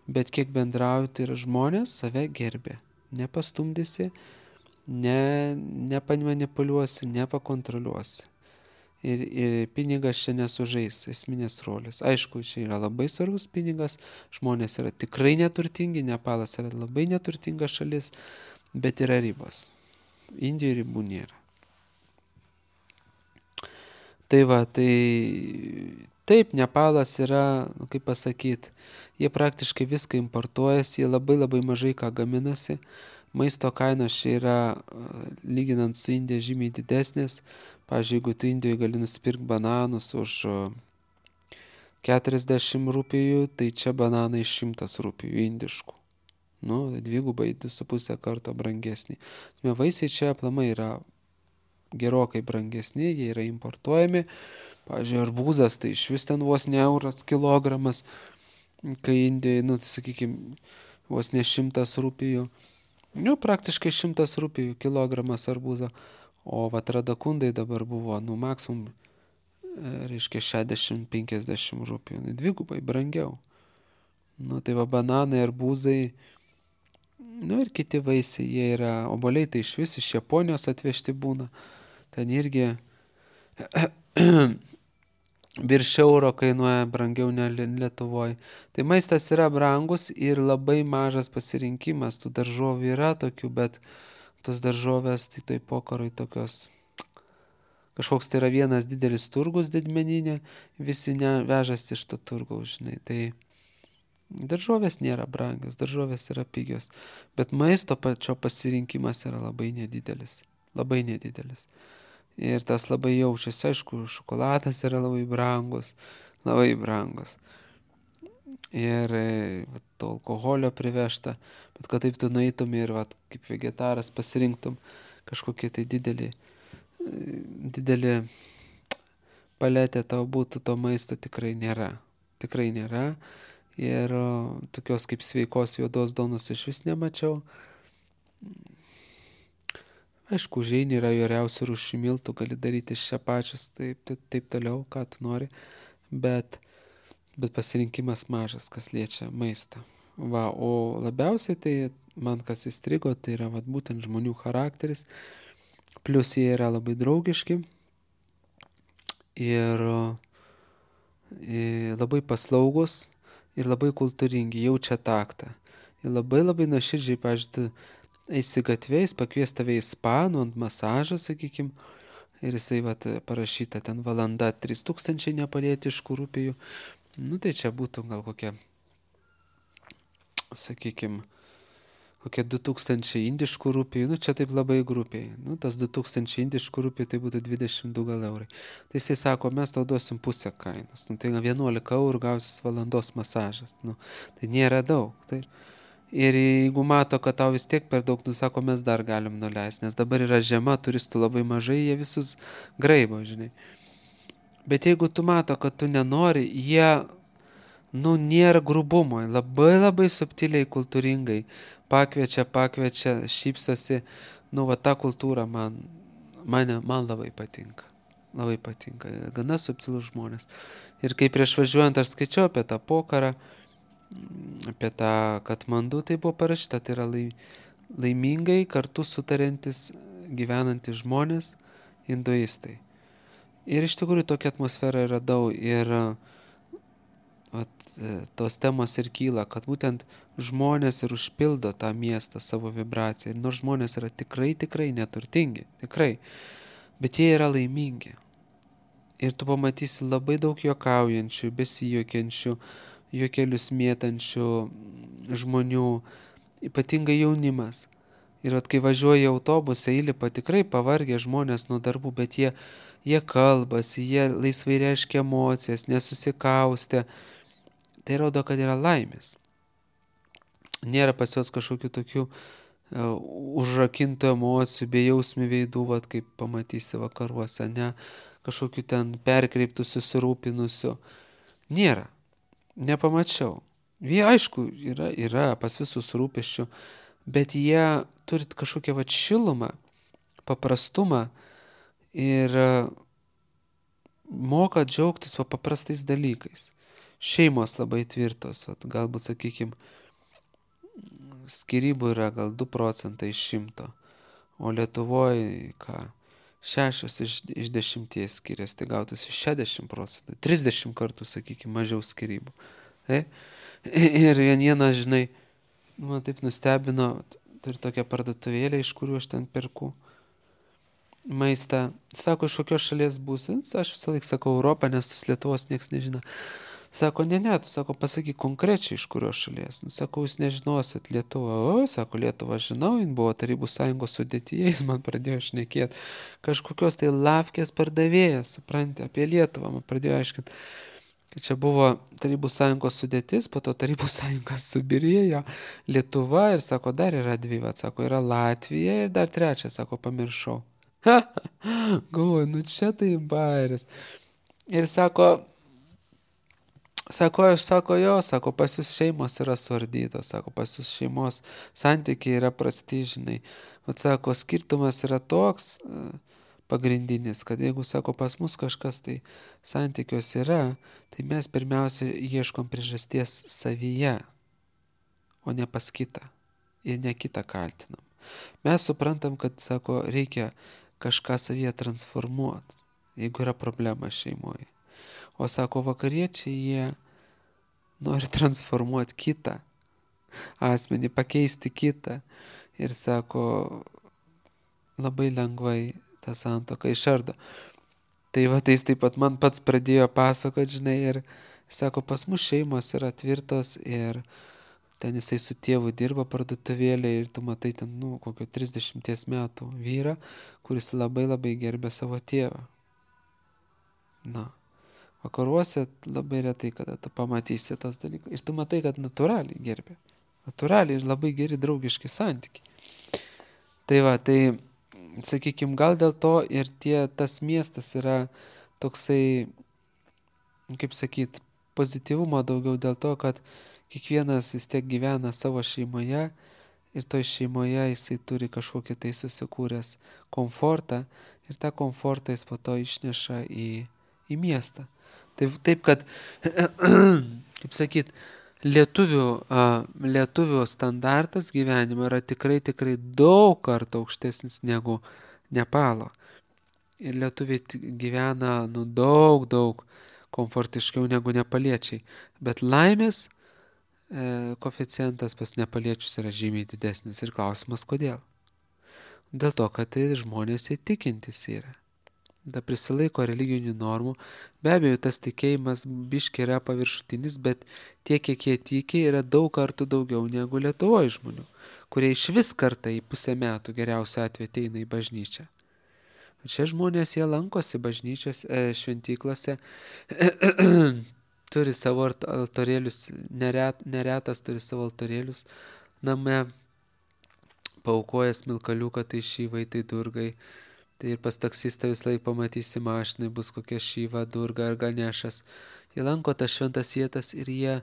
bet kiek bendrauju, tai yra žmonės save gerbė. Nepastumdysi, ne, nepamanipuliuosi, nepakontroliuosi. Ir, ir pinigas čia nesužais esminės rolės. Aišku, čia yra labai svarbus pinigas, žmonės yra tikrai neturtingi, Nepalas yra labai neturtinga šalis, bet yra ribos. Indijoje ribų nėra. Tai va, tai taip, Nepalas yra, nu, kaip pasakyti, jie praktiškai viską importuojasi, jie labai labai mažai ką gaminasi. Maisto kainos čia yra, lyginant su Indija, žymiai didesnės. Pavyzdžiui, jeigu tu Indijoje gali nusipirkti bananus už keturiasdešimt rupijų, tai čia bananai šimtas rupijų indiškų. Nu, dvigubai, du su pusę karto brangesni. Vaisiai čia aplamai yra gerokai brangesni, jie yra importuojami. Pavyzdžiui, arbūzas, tai iš vis ten vos ne euras kilogramas, kai Indijoje, nu, sakykime, vos ne šimtas rupijų. Nu, praktiškai šimtas rupijų kilogramas arbūzo. O vat radakundai dabar buvo, nu, maksimum, reiškia, šešiasdešimt penkiasdešimt rupijų. Nu, dvigubai brangiau. Nu, tai va, bananai, arbūzai, nu, ir kiti vaisiai, jie yra, obuoliai tai iš vis iš Japonijos atvežti būna. Ten irgi virš euro kainuoja brangiau ne Lietuvoje. Tai maistas yra brangus ir labai mažas pasirinkimas. Tų daržovių yra tokių, bet tos daržovės tai toj pokaroj tokios. Kažkoks tai yra vienas didelis turgus didmeninė, visi vežas iš to turgaus, žinai. Tai daržovės nėra brangios, daržovės yra pigios. Bet maisto pačio pasirinkimas yra labai nedidelis. Labai nedidelis. Ir tas labai jaučiasi, aišku, šokoladas yra labai brangus, labai brangus. Ir vat, to alkoholio privežta, bet kad taip tu nueitum ir vat, kaip vegetaras pasirinktum kažkokie tai didelį, didelį paletė tau būtų, to maisto tikrai nėra. Tikrai nėra. Ir tokios kaip sveikos juodos duonos iš vis nemačiau. Aišku, užeini yra įvairiausių rūšių miltų, gali daryti iš čia pačius, taip, taip, taip toliau, ką tu nori, bet, bet pasirinkimas mažas, kas liečia maistą. Va, o labiausiai tai man kas įstrigo, tai yra vat, būtent žmonių charakteris, plus jie yra labai draugiški ir, ir labai paslaugus ir labai kultūringi, jaučia taktą. Ir labai labai nuoširdžiai, pažiūrėjau, eisi gatviais, pakvies tave į spa, nu, ant masažą, sakykim, ir jisai vat, parašyta ten valanda trys tūkstančiai nepalietiškų rupijų. Nu, tai čia būtų gal kokia, sakykim, kokie du tūkstančiai indiškų rupijų, nu, čia taip labai grupiai. Nu, tas du tūkstančiai indiškų rupijų, tai būtų dvidešimt du gal eurai. Tai jisai sako, mes tau duosim pusę kainos. Nu, tai vienuolika eurų gausis valandos masažas. Nu, tai nėra daug, tai... Ir jeigu mato, kad tau vis tiek per daug, nu sako, mes dar galim nuleisti, nes dabar yra žiema, turistų labai mažai, jie visus graibo, žinai. Bet jeigu tu mato, kad tu nenori, jie, nu, nėra grubumo, labai labai subtiliai, kultūringai pakviečia, pakviečia, šypsosi, nu, va, ta kultūra man, mane, man labai patinka. Labai patinka, gana subtilus žmonės. Ir kai prieš važiuojant aš skaičiau apie tą pokarą, apie tą Katmandu, tai buvo parašyta, tai yra laimingai kartu sutariantis gyvenantys žmonės, hinduistai. Ir iš tikrųjų tokia atmosfera yra daug ir at, tos temos ir kyla, kad būtent žmonės ir užpildo tą miestą savo vibraciją. Ir nors žmonės yra tikrai, tikrai neturtingi, tikrai, bet jie yra laimingi. Ir tu pamatysi labai daug juokaujančių, besijuokiančių, juokelius mėtančių žmonių, ypatingai jaunimas. Ir at, kai važiuoja į autobusą, įlipa tikrai pavargę žmonės nuo darbų, bet jie, jie kalbasi, jie laisvai reiškia emocijas, nesusikaustę. Tai rodo, kad yra laimės. Nėra pas juos kažkokių tokių uh, užrakintų emocijų, bejausmių veidų, vat, kaip pamatysi vakaruose, ne, kažkokių ten perkreiptų, susirūpinusių. Nėra. Nepamačiau. Jie, aišku, yra, yra pas visus rūpesčių, bet jie turi kažkokią vat šilumą, paprastumą ir moka džiaugtis va paprastais dalykais. Šeimos labai tvirtos, vat, galbūt, sakykim, skyrybų yra gal du procentai iš šimto, o Lietuvoje, ką, šešios iš, iš dešimties skiriasi, tai gautųsi šešiasdešimt procentų, trisdešimt kartų, sakykime, mažiau skirybų. Tai? Ir vienieną, žinai, man taip nustebino, turi tokią parduotuvėlę, iš kurių aš ten perku maistą. Sako, iš kokios šalies būsi? Aš visą laiką sakau Europą, nes tos Lietuvos nieks nežino. Sako, ne, ne, tu sako, pasakyk konkrečiai, iš kurios šalies. Nu, sako, jūs nežinosit Lietuvą. O, sako, Lietuvą žinau, jin buvo Tarybų sąjungos sudėtyje, jis man pradėjo šnekėti. Kažkokios tai lavkės pardavėjas, supranti, apie Lietuvą man pradėjo aiškinti. Kad čia buvo Tarybų sąjungos sudėtis, po to Tarybų sąjungos subirėjo Lietuva ir sako, dar yra dvi, vat, sako, yra Latvija ir dar trečia, sako, pamiršau. Galvoju, nu čia tai bairis. Ir sako, sako, aš sako, jo, sako, pas jūs šeimos yra suardytos, sako, pas jūs šeimos santykiai yra prasti, žinai. Vat sako, skirtumas yra toks pagrindinis, kad jeigu, sako, pas mus kažkas tai santykios yra, tai mes pirmiausia ieškom priežasties savyje, o ne pas kitą. Ir ne kitą kaltinam. Mes suprantam, kad, sako, reikia kažką savyje transformuoti, jeigu yra problema šeimoje. O sako, vakariečiai, jie nori transformuoti kitą asmenį, pakeisti kitą. Ir sako, labai lengvai tą santuoką išardo. Tai va, tai jis taip pat man pats pradėjo pasakoti, žinai, ir sako, pas mus šeimos yra tvirtos ir ten jisai su tėvu dirba parduotuvėlė ir tu matai ten, nu, kokio trisdešimties metų vyrą, kuris labai labai gerbė savo tėvą. Na, vakaruose labai retai, kada tu pamatysi tos dalykus. Ir tu matai, kad natūraliai gerbė. Natūraliai ir labai geri draugiški santykiai. Tai va, tai, sakykime, gal dėl to ir tie, tas miestas yra toksai, kaip sakyt, pozityvumo daugiau dėl to, kad kiekvienas vis tiek gyvena savo šeimoje ir toj šeimoje jisai turi kažkokį tai susikūręs komfortą ir tą komfortą jis po to išneša į, į miestą. Taip, taip kad, kaip sakyt, lietuvių, a, lietuvių standartas gyvenimo yra tikrai, tikrai daug kartų aukštesnis negu Nepalo. Ir lietuviai gyvena, nu, daug, daug komfortiškiau negu nepaliečiai. Bet laimės koeficientas pas nepaliečius yra žymiai didesnis ir klausimas kodėl. Dėl to, kad tai žmonės įtikintis yra. Da prisilaiko religinių normų. Be abejo, tas tikėjimas biškiai yra paviršutinis, bet tiek, kiek jie tiki, yra daug kartų daugiau negu Lietuvoje žmonių, kurie iš vis kartą į pusę metų geriausiu atveju ateina į bažnyčią. O čia žmonės, jie lankosi bažnyčios e, šventyklose, turi savo altorėlius, neret, neretas turi savo altorėlius name, paaukoja smilkaliuką, tai šyvai, tai durgai. Tai ir pas taksistą vis laik pamatysi mašinai, bus kokia šyva, durga ar ganešas. Jie lanko tas šventas vietas ir jie,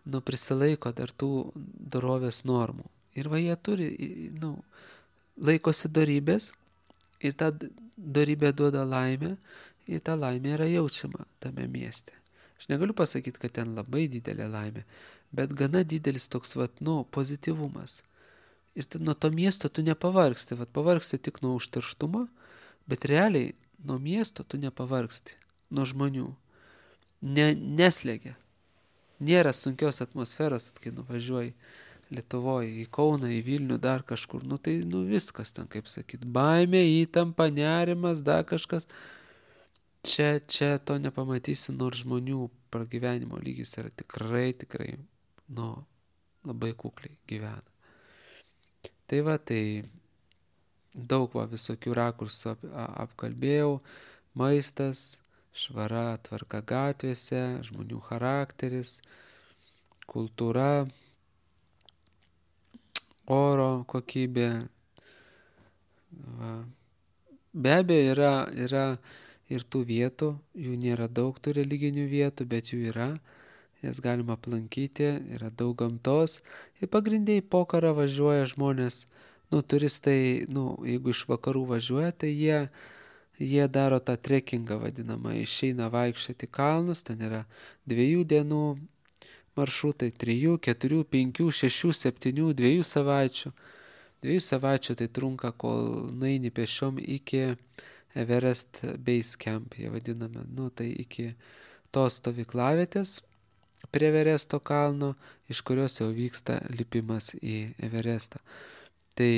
nu, prisilaiko dar tų dorovės normų. Ir va jie turi, nu, laikosi dorybės ir ta dorybė duoda laimę ir ta laimė yra jaučiama tame mieste. Aš negaliu pasakyti, kad ten labai didelė laimė, bet gana didelis toks, vat, nu, pozityvumas. Ir nuo to miesto tu nepavargsti, vat pavargsti tik nuo užterštumo, bet realiai nuo miesto tu nepavargsti, nuo žmonių. Ne, neslegia. Nėra sunkios atmosferos, kai nuvažiuoji Lietuvoje, į Kauną, į Vilnių, dar kažkur. Nu tai, nu viskas ten, kaip sakyt, baimė, įtampa, nerimas, dar kažkas. Čia, čia to nepamatysi, nors žmonių pragyvenimo lygis yra tikrai, tikrai, nu, labai kukliai gyvena. Tai va, tai daug va visokių rakursų ap, apkalbėjau, maistas, švara, tvarka gatvėse, žmonių charakteris, kultūra, oro kokybė. Va. Be abejo, yra, yra ir tų vietų, jų nėra daug tų religinių vietų, bet jų yra, jas galima aplankyti, yra daug gamtos. Ir pagrindai po karą važiuoja žmonės, nu, turistai, nu, jeigu iš vakarų važiuoja, tai jie, jie daro tą trekingą vadinamą, išeina vaikščioti kalnus, ten yra dviejų dienų maršrutai, trijų, keturių, penkių, šešių, septynių, dviejų savaičių. Dviejų savaičių tai trunka, kol nueini pešiom iki Everest Base Camp, jie vadiname. Nu, tai iki tos stovyklavietės prie Everesto kalno, iš kurios jau vyksta lipimas į Everestą. Tai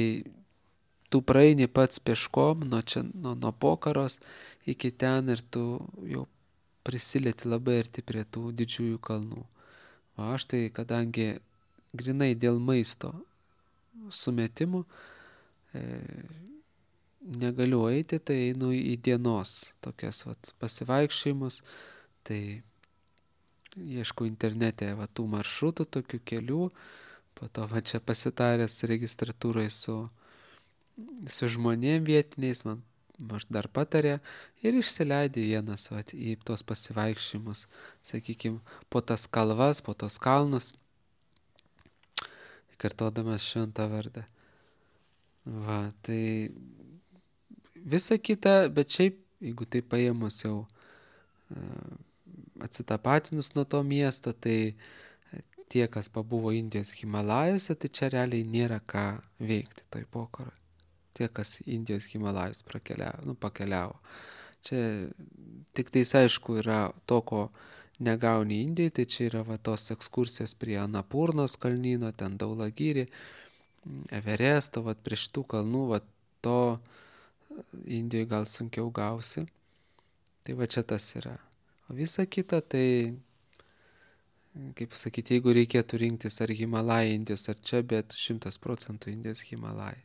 tu praeini pats peškom nuo, čia, nuo, nuo Pokaros iki ten ir tu jau prisilieti labai arti prie tų didžiųjų kalnų. O aš tai, kadangi grinai dėl maisto sumetimų e, negaliu eiti, tai einu į dienos tokias vat, pasivaikščiojimus, tai ieškau internete va, tų maršrutų, tokių kelių, po to va čia pasitaręs registratūrai su, su žmonėm vietiniais, man aš dar patarė ir išsileidė vienas va, į tos pasivaikščiojimus, sakykime, po tas kalvas, po tos kalnus, kartodamas šventą vardą. Va, tai visa kita, bet šiaip, jeigu tai paėmus jau atsitapatinus nuo to miesto, tai tie, kas pabuvo Indijos Himalajuose, tai čia realiai nėra ką veikti toj Pokoroj. Tie, kas Indijos Himalajus prakeliavo, nu, pakeliavo. Čia tik tais aišku yra to, ko negauni Indijai, tai čia yra va, tos ekskursijos prie Anapurnos kalnyno, ten Daulagiri, Everesto, va, prie šitų kalnų, va, to Indijoje gal sunkiau gausi. Tai va čia tas yra. O visa kita, tai, kaip sakyti, jeigu reikėtų rinktis ar Himalajai Indijos, ar čia, bet šimtas procentų Indijos Himalajai.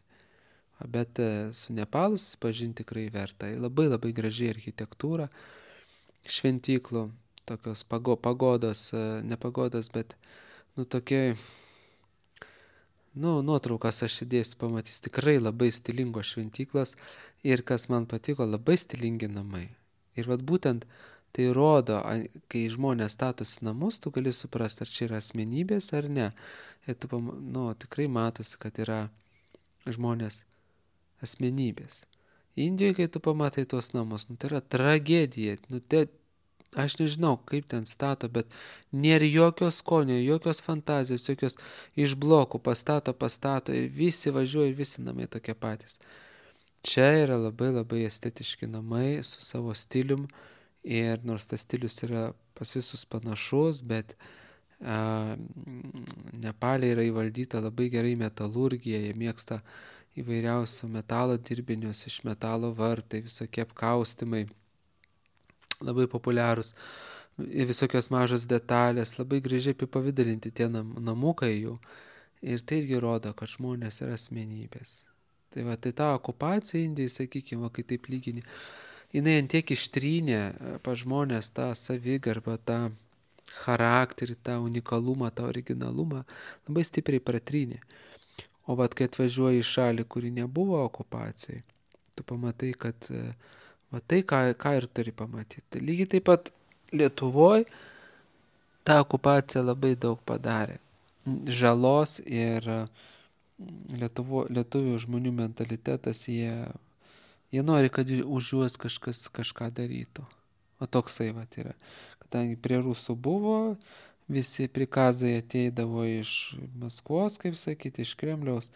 Bet su Nepalu susipažinti tikrai verta. Labai labai graži architektūra, šventyklų, tokios pago, pagodos, ne pagodos, bet, nu, tokie, nu, nuotraukas aš įdėsiu, pamatys tikrai labai stilingos šventyklas ir kas man patiko, labai stilingi namai. Ir vat būtent tai rodo, kai žmonės statosi namus, tu gali suprasti, ar čia yra asmenybės ar ne. Ir tu, nu, tikrai matosi, kad yra žmonės asmenybės. Indijoje, kai tu pamatai tuos namus, nu, tai yra tragedija. Nu, tai, aš nežinau, kaip ten stato, bet nėra jokios skonio, jokios fantazijos, jokios iš blokų pastato, pastato ir visi važiuoja ir visi namai tokie patys. Čia yra labai labai estetiški namai su savo stilium ir nors tas stilius yra pas visus panašus, bet a, Nepale yra įvaldyta labai gerai metalurgija, jie mėgsta įvairiausių metalo dirbinius, iš metalo vartai, visokie apkaustimai, labai populiarūs, visokios mažos detalės, labai gražiai apipavidalinti tie nam, namukai jų ir tai irgi rodo, kad žmonės yra asmenybės. Tai va, tai ta okupacija Indijai, sakykime, kai taip lygini, jinai antiek ištrynė pa žmonės tą savigarbą, tą charakterį, tą unikalumą, tą originalumą, labai stipriai pratrynė. O vat, kai atvažiuoji į šalį, kuri nebuvo okupacijai, tu pamatai, kad va, tai, ką, ką ir turi pamatyti. Tai lygiai taip pat Lietuvoje ta okupacija labai daug padarė žalos ir Lietuvo, lietuvių žmonių mentalitetas, jie, jie nori, kad už juos kažkas kažką darytų. O toksai vat yra. Kadangi prie rusų buvo, visi prikazai ateidavo iš Maskvos, kaip sakyti, iš Kremliaus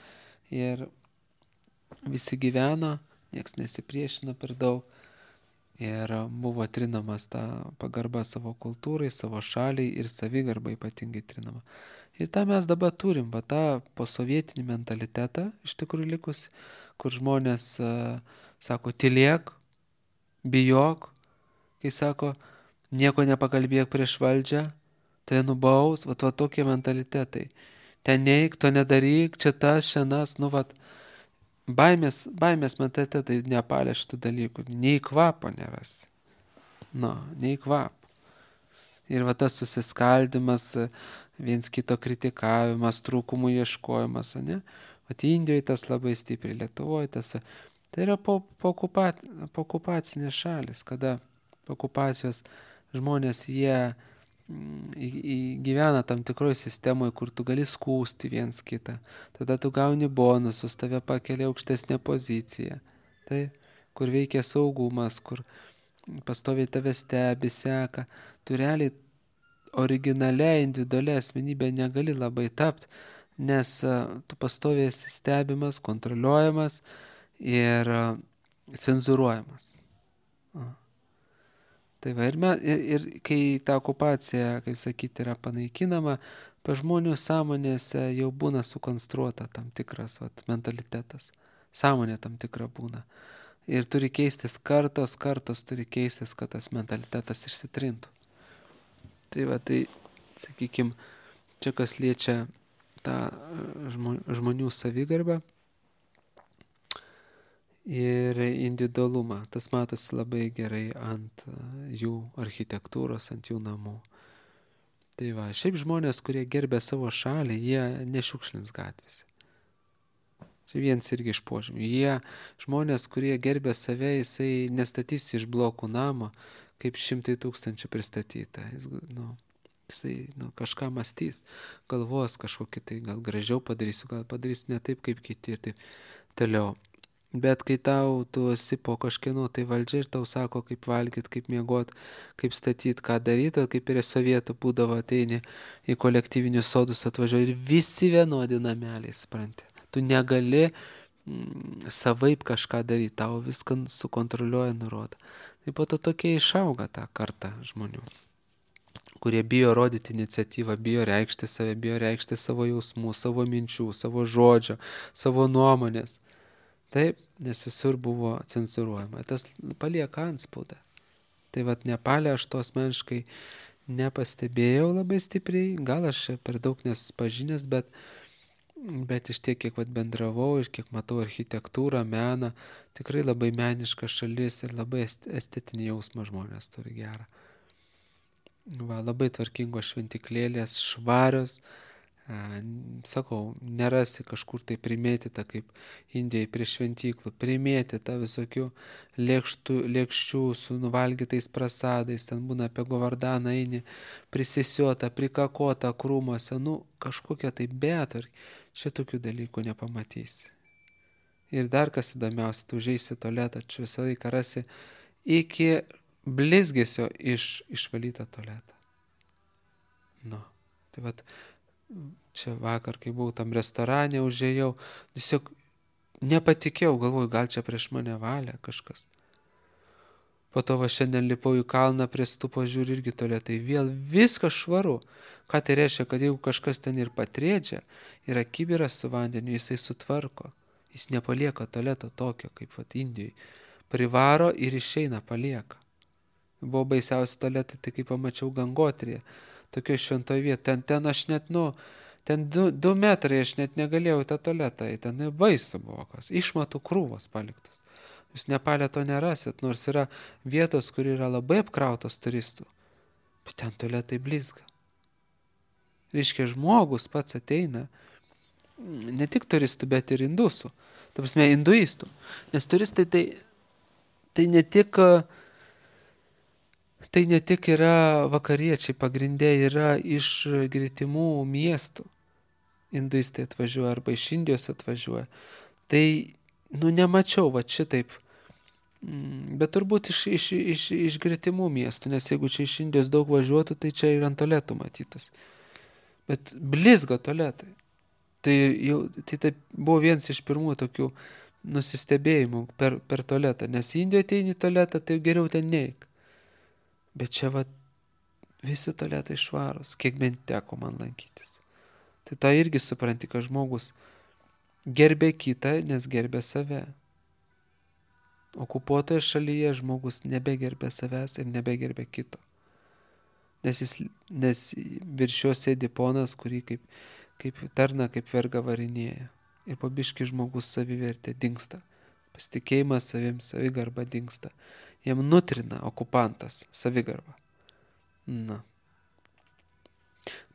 ir visi gyveno, nieks nesipriešino per daug ir buvo trinamas ta pagarba savo kultūrai, savo šaliai ir savigarba ypatingai trinama. Ir tą mes dabar turim, va tą posovietinį mentalitetą iš tikrųjų likus, kur žmonės uh, sako, tylėk, bijok, kai sako, nieko nepakalbėk prieš valdžią, tai nubaus, va, va tokie mentalitetai. Ten neik, to nedaryk, čia tas, šiandienas, nu, va, baimės, baimės mentalitetai Nepale šitų dalykų, nei kvapo nerasi. Nu, nei kvapo. Ir va tas susiskaldimas, viens kito kritikavimas, trūkumų ieškojimas, ne? Vat Indijoje tas labai stipriai, Lietuvoje tas. Tai yra po, po, okupat, po okupacinės šalis, kada po okupacijos žmonės jie į, į, gyvena tam tikroje sistemoje, kur tu gali skūsti viens kitą. Tada tu gauni bonusus, tave pakelia aukštesnė pozicija. Tai, kur veikia saugumas, kur pastoviai tave stebi, seka, tu realiai originaliai, individualiai asmenybė negali labai tapti, nes tu pastoviai esi stebimas, kontroliuojamas ir cenzuruojamas. O. Tai va, ir, me, ir, ir kai ta okupacija, kaip sakyti, yra panaikinama, pa žmonių sąmonėse jau būna sukonstruota tam tikras vat, mentalitetas. Sąmonė tam tikra būna. Ir turi keistis kartos, kartos turi keistis, kad tas mentalitetas išsitrintų. Tai va, tai, sakykime, čia kas liečia tą žmonių savigarbą ir individualumą. Tas matosi labai gerai ant jų architektūros, ant jų namų. Tai va, šiaip žmonės, kurie gerbė savo šalį, jie nešiukšlins gatvėse. Čia vienas irgi iš požymių. Jie, žmonės, kurie gerbė save, jisai nestatys iš blokų namo, kaip šimtai tūkstančių pristatyta. Jis, nu, jisai nu, kažką mąstys, galvos kažkokį tai, gal gražiau padarysiu, gal padarysiu ne taip kaip kiti ir taip toliau. Bet kai tau tu esi po kažkieno tai valdžia ir tau sako, kaip valgyti, kaip miegoti, kaip statyti, ką daryti, kaip ir sovietų būdavo ateini į kolektyvinius sodus atvažiuoja ir visi vienodi nameliai, supranti. Tu negali mm, savaip kažką daryti, tau viską sukontroliuoja, nurodo. Tai po to tokie išauga tą kartą žmonių, kurie bijo rodyti iniciatyvą, bijo reikšti save, bijo reikšti savo jausmų, savo minčių, savo žodžio, savo nuomonės. Taip, nes visur buvo cenzuruojama. Tas palieka antspaudą. Tai vat Nepale aš to asmeniškai nepastebėjau labai stipriai, gal aš per daug nespažinęs, bet, bet iš tiek, kiek vat bendravau ir kiek matau architektūrą, meną, tikrai labai meniška šalis ir labai estetinį jausmą žmonės turi gerą. Va, labai tvarkingos šventiklėlės, švarios. Sakau, nerasi kažkur tai primėtyta kaip Indijai prie šventyklų, primėtyta visokių lėkštų, lėkščių su nuvalgytais prasadais, ten būna apie Govardaną eini, prisisiota, prikakota krūmose, nu kažkokia tai betvarkė, čia tokių dalykų nepamatysi. Ir dar kas įdomiausia, tu užeisi į tualetą, čia visą laiką rasi iki blizgesio iš, išvalytą tualetą. Nu, tai vat, čia vakar, kai buvau tam restorane, užėjau, tiesiog nepatikėjau, galvoju, gal čia prieš mane valia kažkas. Po to va šiandien lipau į kalną prie stupo, žiūri irgi tualetai, vėl viskas švaru. Ką tai reiškia, kad jeigu kažkas ten ir patrėdžia, yra kibiras su vandeniu, jisai sutvarko. Jis nepalieka tualeto tokio, kaip vat Indijai. Privaro ir išeina, palieka. Buvo baisiausi tualetai, tai kai pamačiau Gangotrėje. Tokio šventoje vietoje, ten, ten aš net, nu, ten du, du metrai aš net negalėjau į tą tualetą, ten baisu buvo kas, išmatų krūvos paliktas. Jūs Nepale to nerasit, nors yra vietos, kur yra labai apkrautos turistų, bet ten tualetai blizga. Reiškia, žmogus pats ateina, ne tik turistų, bet ir indusų, ta prasme, hinduistų, nes turistai tai, tai ne tik... Tai ne tik yra vakariečiai, pagrindė yra iš gretimų miestų. Hinduistai atvažiuoja arba iš Indijos atvažiuoja. Tai, nu, nemačiau va šitaip. Bet turbūt iš, iš, iš, iš gretimų miestų, nes jeigu čia iš Indijos daug važiuotų, tai čia ir ant tualetų matytus. Bet blizga tualetai. Tai, jau, tai, tai buvo vienas iš pirmų tokių nusistebėjimų per, per tualetą. Nes Indijoje ateini į tualetą, tai geriau ten neik. Bet čia va visi tualetai švarūs, kiek bent teko man lankytis. Tai tą irgi supranti, kad žmogus gerbė kitą, nes gerbė save. Okupuotoje šalyje žmogus nebegerbė savęs ir nebegerbė kito. Nes, jis, nes virš jo sėdi ponas, kurį kaip, kaip tarna, kaip verga varinėja. Ir po biškį žmogus savivertė dingsta. Pasitikėjimas savim, savigarba dingsta. Jam nutrina okupantas savigarbą. Na.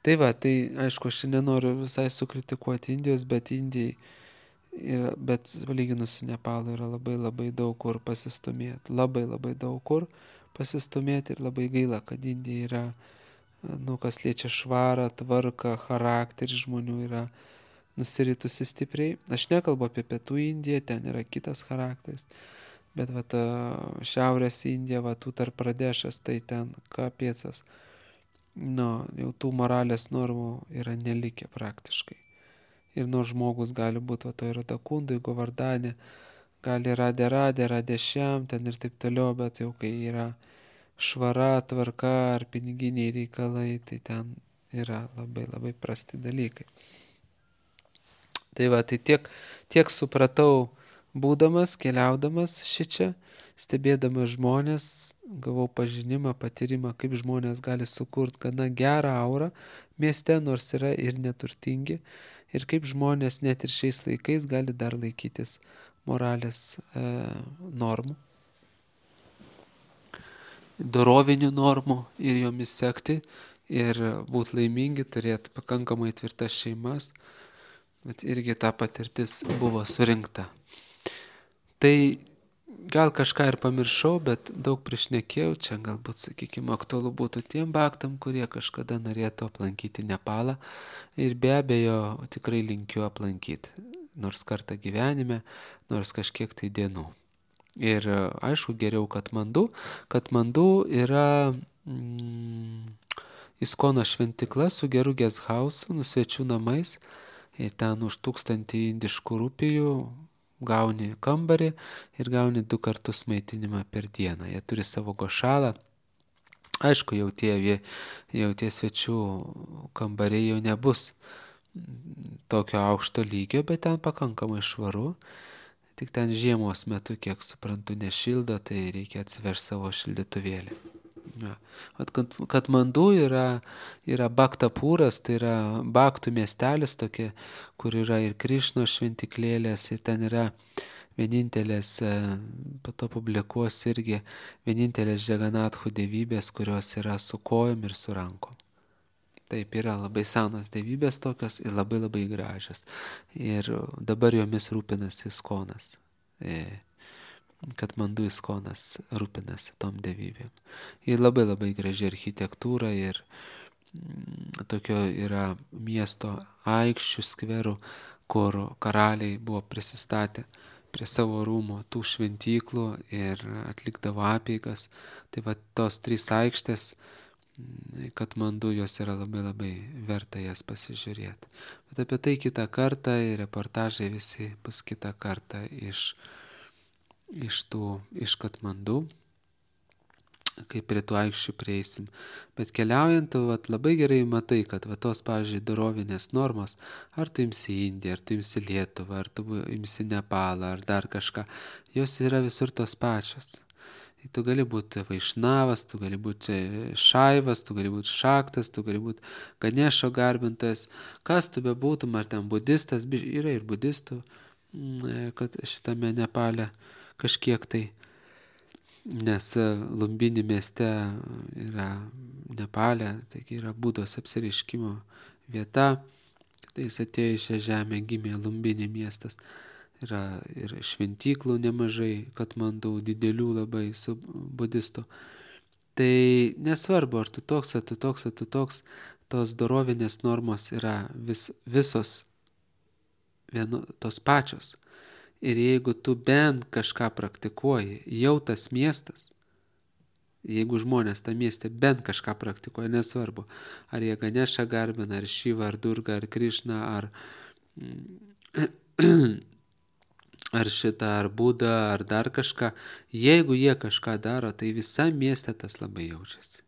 Tai va, tai aišku, aš nenoriu visai sukritikuoti Indijos, bet Indijai, yra, bet palyginus su Nepalu yra labai labai daug kur pasistumėti. Labai labai daug kur pasistumėti ir labai gaila, kad Indija yra, nu, kas liečia švarą, tvarką, charakterį žmonių yra nusiritusi stipriai. Aš nekalbu apie Pietų Indiją, ten yra kitas charakteris. Bet va ta Šiaurės Indija, va tų tarp Pradešas, tai ten kapiecas. Nu, jau tų moralės normų yra nelikę praktiškai. Ir nors žmogus gali būti, va to yra Dakundai, Govardane, gali radė radė, radė šiam, ten ir taip toliau, bet jau kai yra švara, tvarka ar piniginiai reikalai, tai ten yra labai labai prasti dalykai. Tai va, tai tiek, tiek supratau, būdamas, keliaudamas šičia, stebėdamas žmonės, gavau pažinimą, patyrimą, kaip žmonės gali sukurti gana gerą aurą mieste, nors yra ir neturtingi, ir kaip žmonės net ir šiais laikais gali dar laikytis moralės e, normų, dorovinių normų ir jomis sekti ir būti laimingi, turėti pakankamai tvirtas šeimas. Bet irgi ta patirtis buvo surinkta. Tai gal kažką ir pamiršau, bet daug prišnekėjau, čia galbūt, sakykime, aktualu būtų tiem baktam, kurie kažkada norėtų aplankyti Nepalą ir be abejo tikrai linkiu aplankyti, nors kartą gyvenime, nors kažkiek tai dienų. Ir aišku, geriau Katmandu. Katmandu yra mm, Iskono šventikla su geru guesthausu, nu svečių namais. Ir ten už tūkstantį indiškų rupijų gauni kambarį ir gauni du kartus maitinimą per dieną. Jie turi savo gošalą. Aišku, jau tie, jau tie svečių kambariai jau nebus tokio aukšto lygio, bet ten pakankamai švaru. Tik ten žiemos metu, kiek suprantu, nešildo, tai reikia atsivežti savo šildytuvėlį. Ja. Katmandu yra, yra Baktapūras, tai yra Baktų miestelis tokia, kur yra ir Krišno šventiklėlės, ir ten yra vienintelės, po to publikuos irgi, vienintelės Džaganatchų dievybės, kurios yra su kojom ir su rankom. Taip, yra labai senas dievybės tokios ir labai labai gražios. Ir dabar jomis rūpinasi Iskonas. E, Katmandu Iskonas rūpinasi tom dievybėm. Ir labai labai graži architektūra ir mm, tokio yra miesto aikščių skverų, kur karaliai buvo prisistatę prie savo rūmo tų šventyklų ir atlikdavo apeigas. Tai va tos trys aikštės, Katmandu, jos yra labai labai verta jas pasižiūrėti. Bet apie tai kitą kartą ir reportažai visi bus kitą kartą iš iš tų, iš Katmandu, kai prie tų aikščių prieisim. Bet keliaujant, tu vat, labai gerai matai, kad va, tos, pavyzdžiui, dorovinės normos, ar tu imsi Indiją, ar tu imsi Lietuvą, ar tu imsi Nepalą, ar dar kažką, jos yra visur tos pačios. Tu gali būti Vaišnavas, tu gali būti Šaivas, tu gali būti Šaktas, tu gali būti Ganešo garbintojas, kas tu bebūtum, ar ten budistas, yra ir budistų, kad šitame Nepale kažkiek tai, nes Lumbini mieste yra Nepale, taigi yra Budos apsireiškimo vieta, tai jis atėjo į šią žemę, gimė Lumbini miestas, yra ir šventyklų nemažai, Katmandu, didelių labai su budistų. Tai nesvarbu, ar tu toks, ar tu toks, ar tu toks, tos dorovinės normos yra vis, visos vienu, tos pačios. Ir jeigu tu bent kažką praktikuoji, jau tas miestas, jeigu žmonės tą miestę bent kažką praktikuoja, nesvarbu, ar jie Ganešą garbina, ar Šivą, ar Durgą, ar Krišną, ar, ar šitą, ar Budą, ar dar kažką, jeigu jie kažką daro, tai visam mieste tas labai jaučiasi.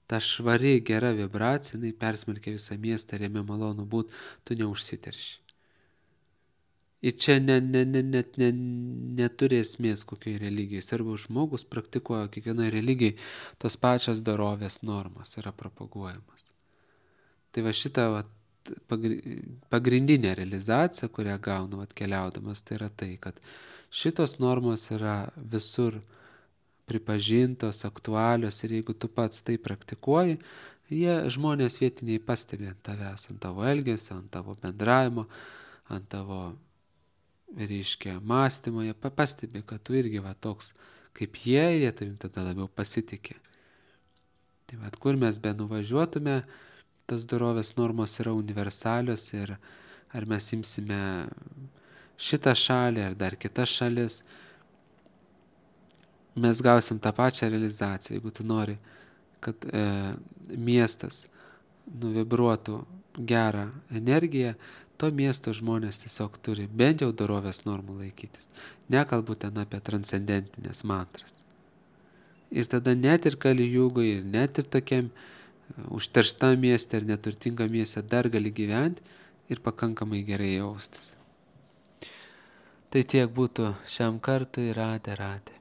Ta švari, gera vibracija, jinai persmelkia visą miestą ir jame malonu būt, tu neužsiterši. Ir čia ne, ne, ne, net ne, neturi esmės kokiai religijai. Arba žmogus praktikuoja kiekvienoje religijai tos pačios dorovės normos yra propaguojamos. Tai va šita va, pagrindinė realizacija, kurią gaunu atkeliaudamas, tai yra tai, kad šitos normos yra visur pripažintos, aktualios ir jeigu tu pats tai praktikuoji, jie žmonės vietiniai pastebi ant tavęs, ant tavo elgesio, ant tavo bendravimo, ant tavo reiškia mąstymo, jie pastebi, kad tu irgi va toks kaip jie, jie tavim tada labiau pasitikė. Tai va, kur mes be nuvažiuotume, tos dorovės normos yra universalios ir ar mes imsime šitą šalį ar dar kitas šalis, mes gausim tą pačią realizaciją. Jeigu tu nori, kad e, miestas nuvibruotų gerą energiją, to miesto žmonės tiesiog turi bent jau dorovės normų laikytis. Nekalbu ten apie transcendentinės mantras. Ir tada net ir Kalijugoj, ir net ir tokiam užterštam mieste ir neturtingam mieste dar gali gyventi ir pakankamai gerai jaustis. Tai tiek būtų šiam kartui, ratė, ratė.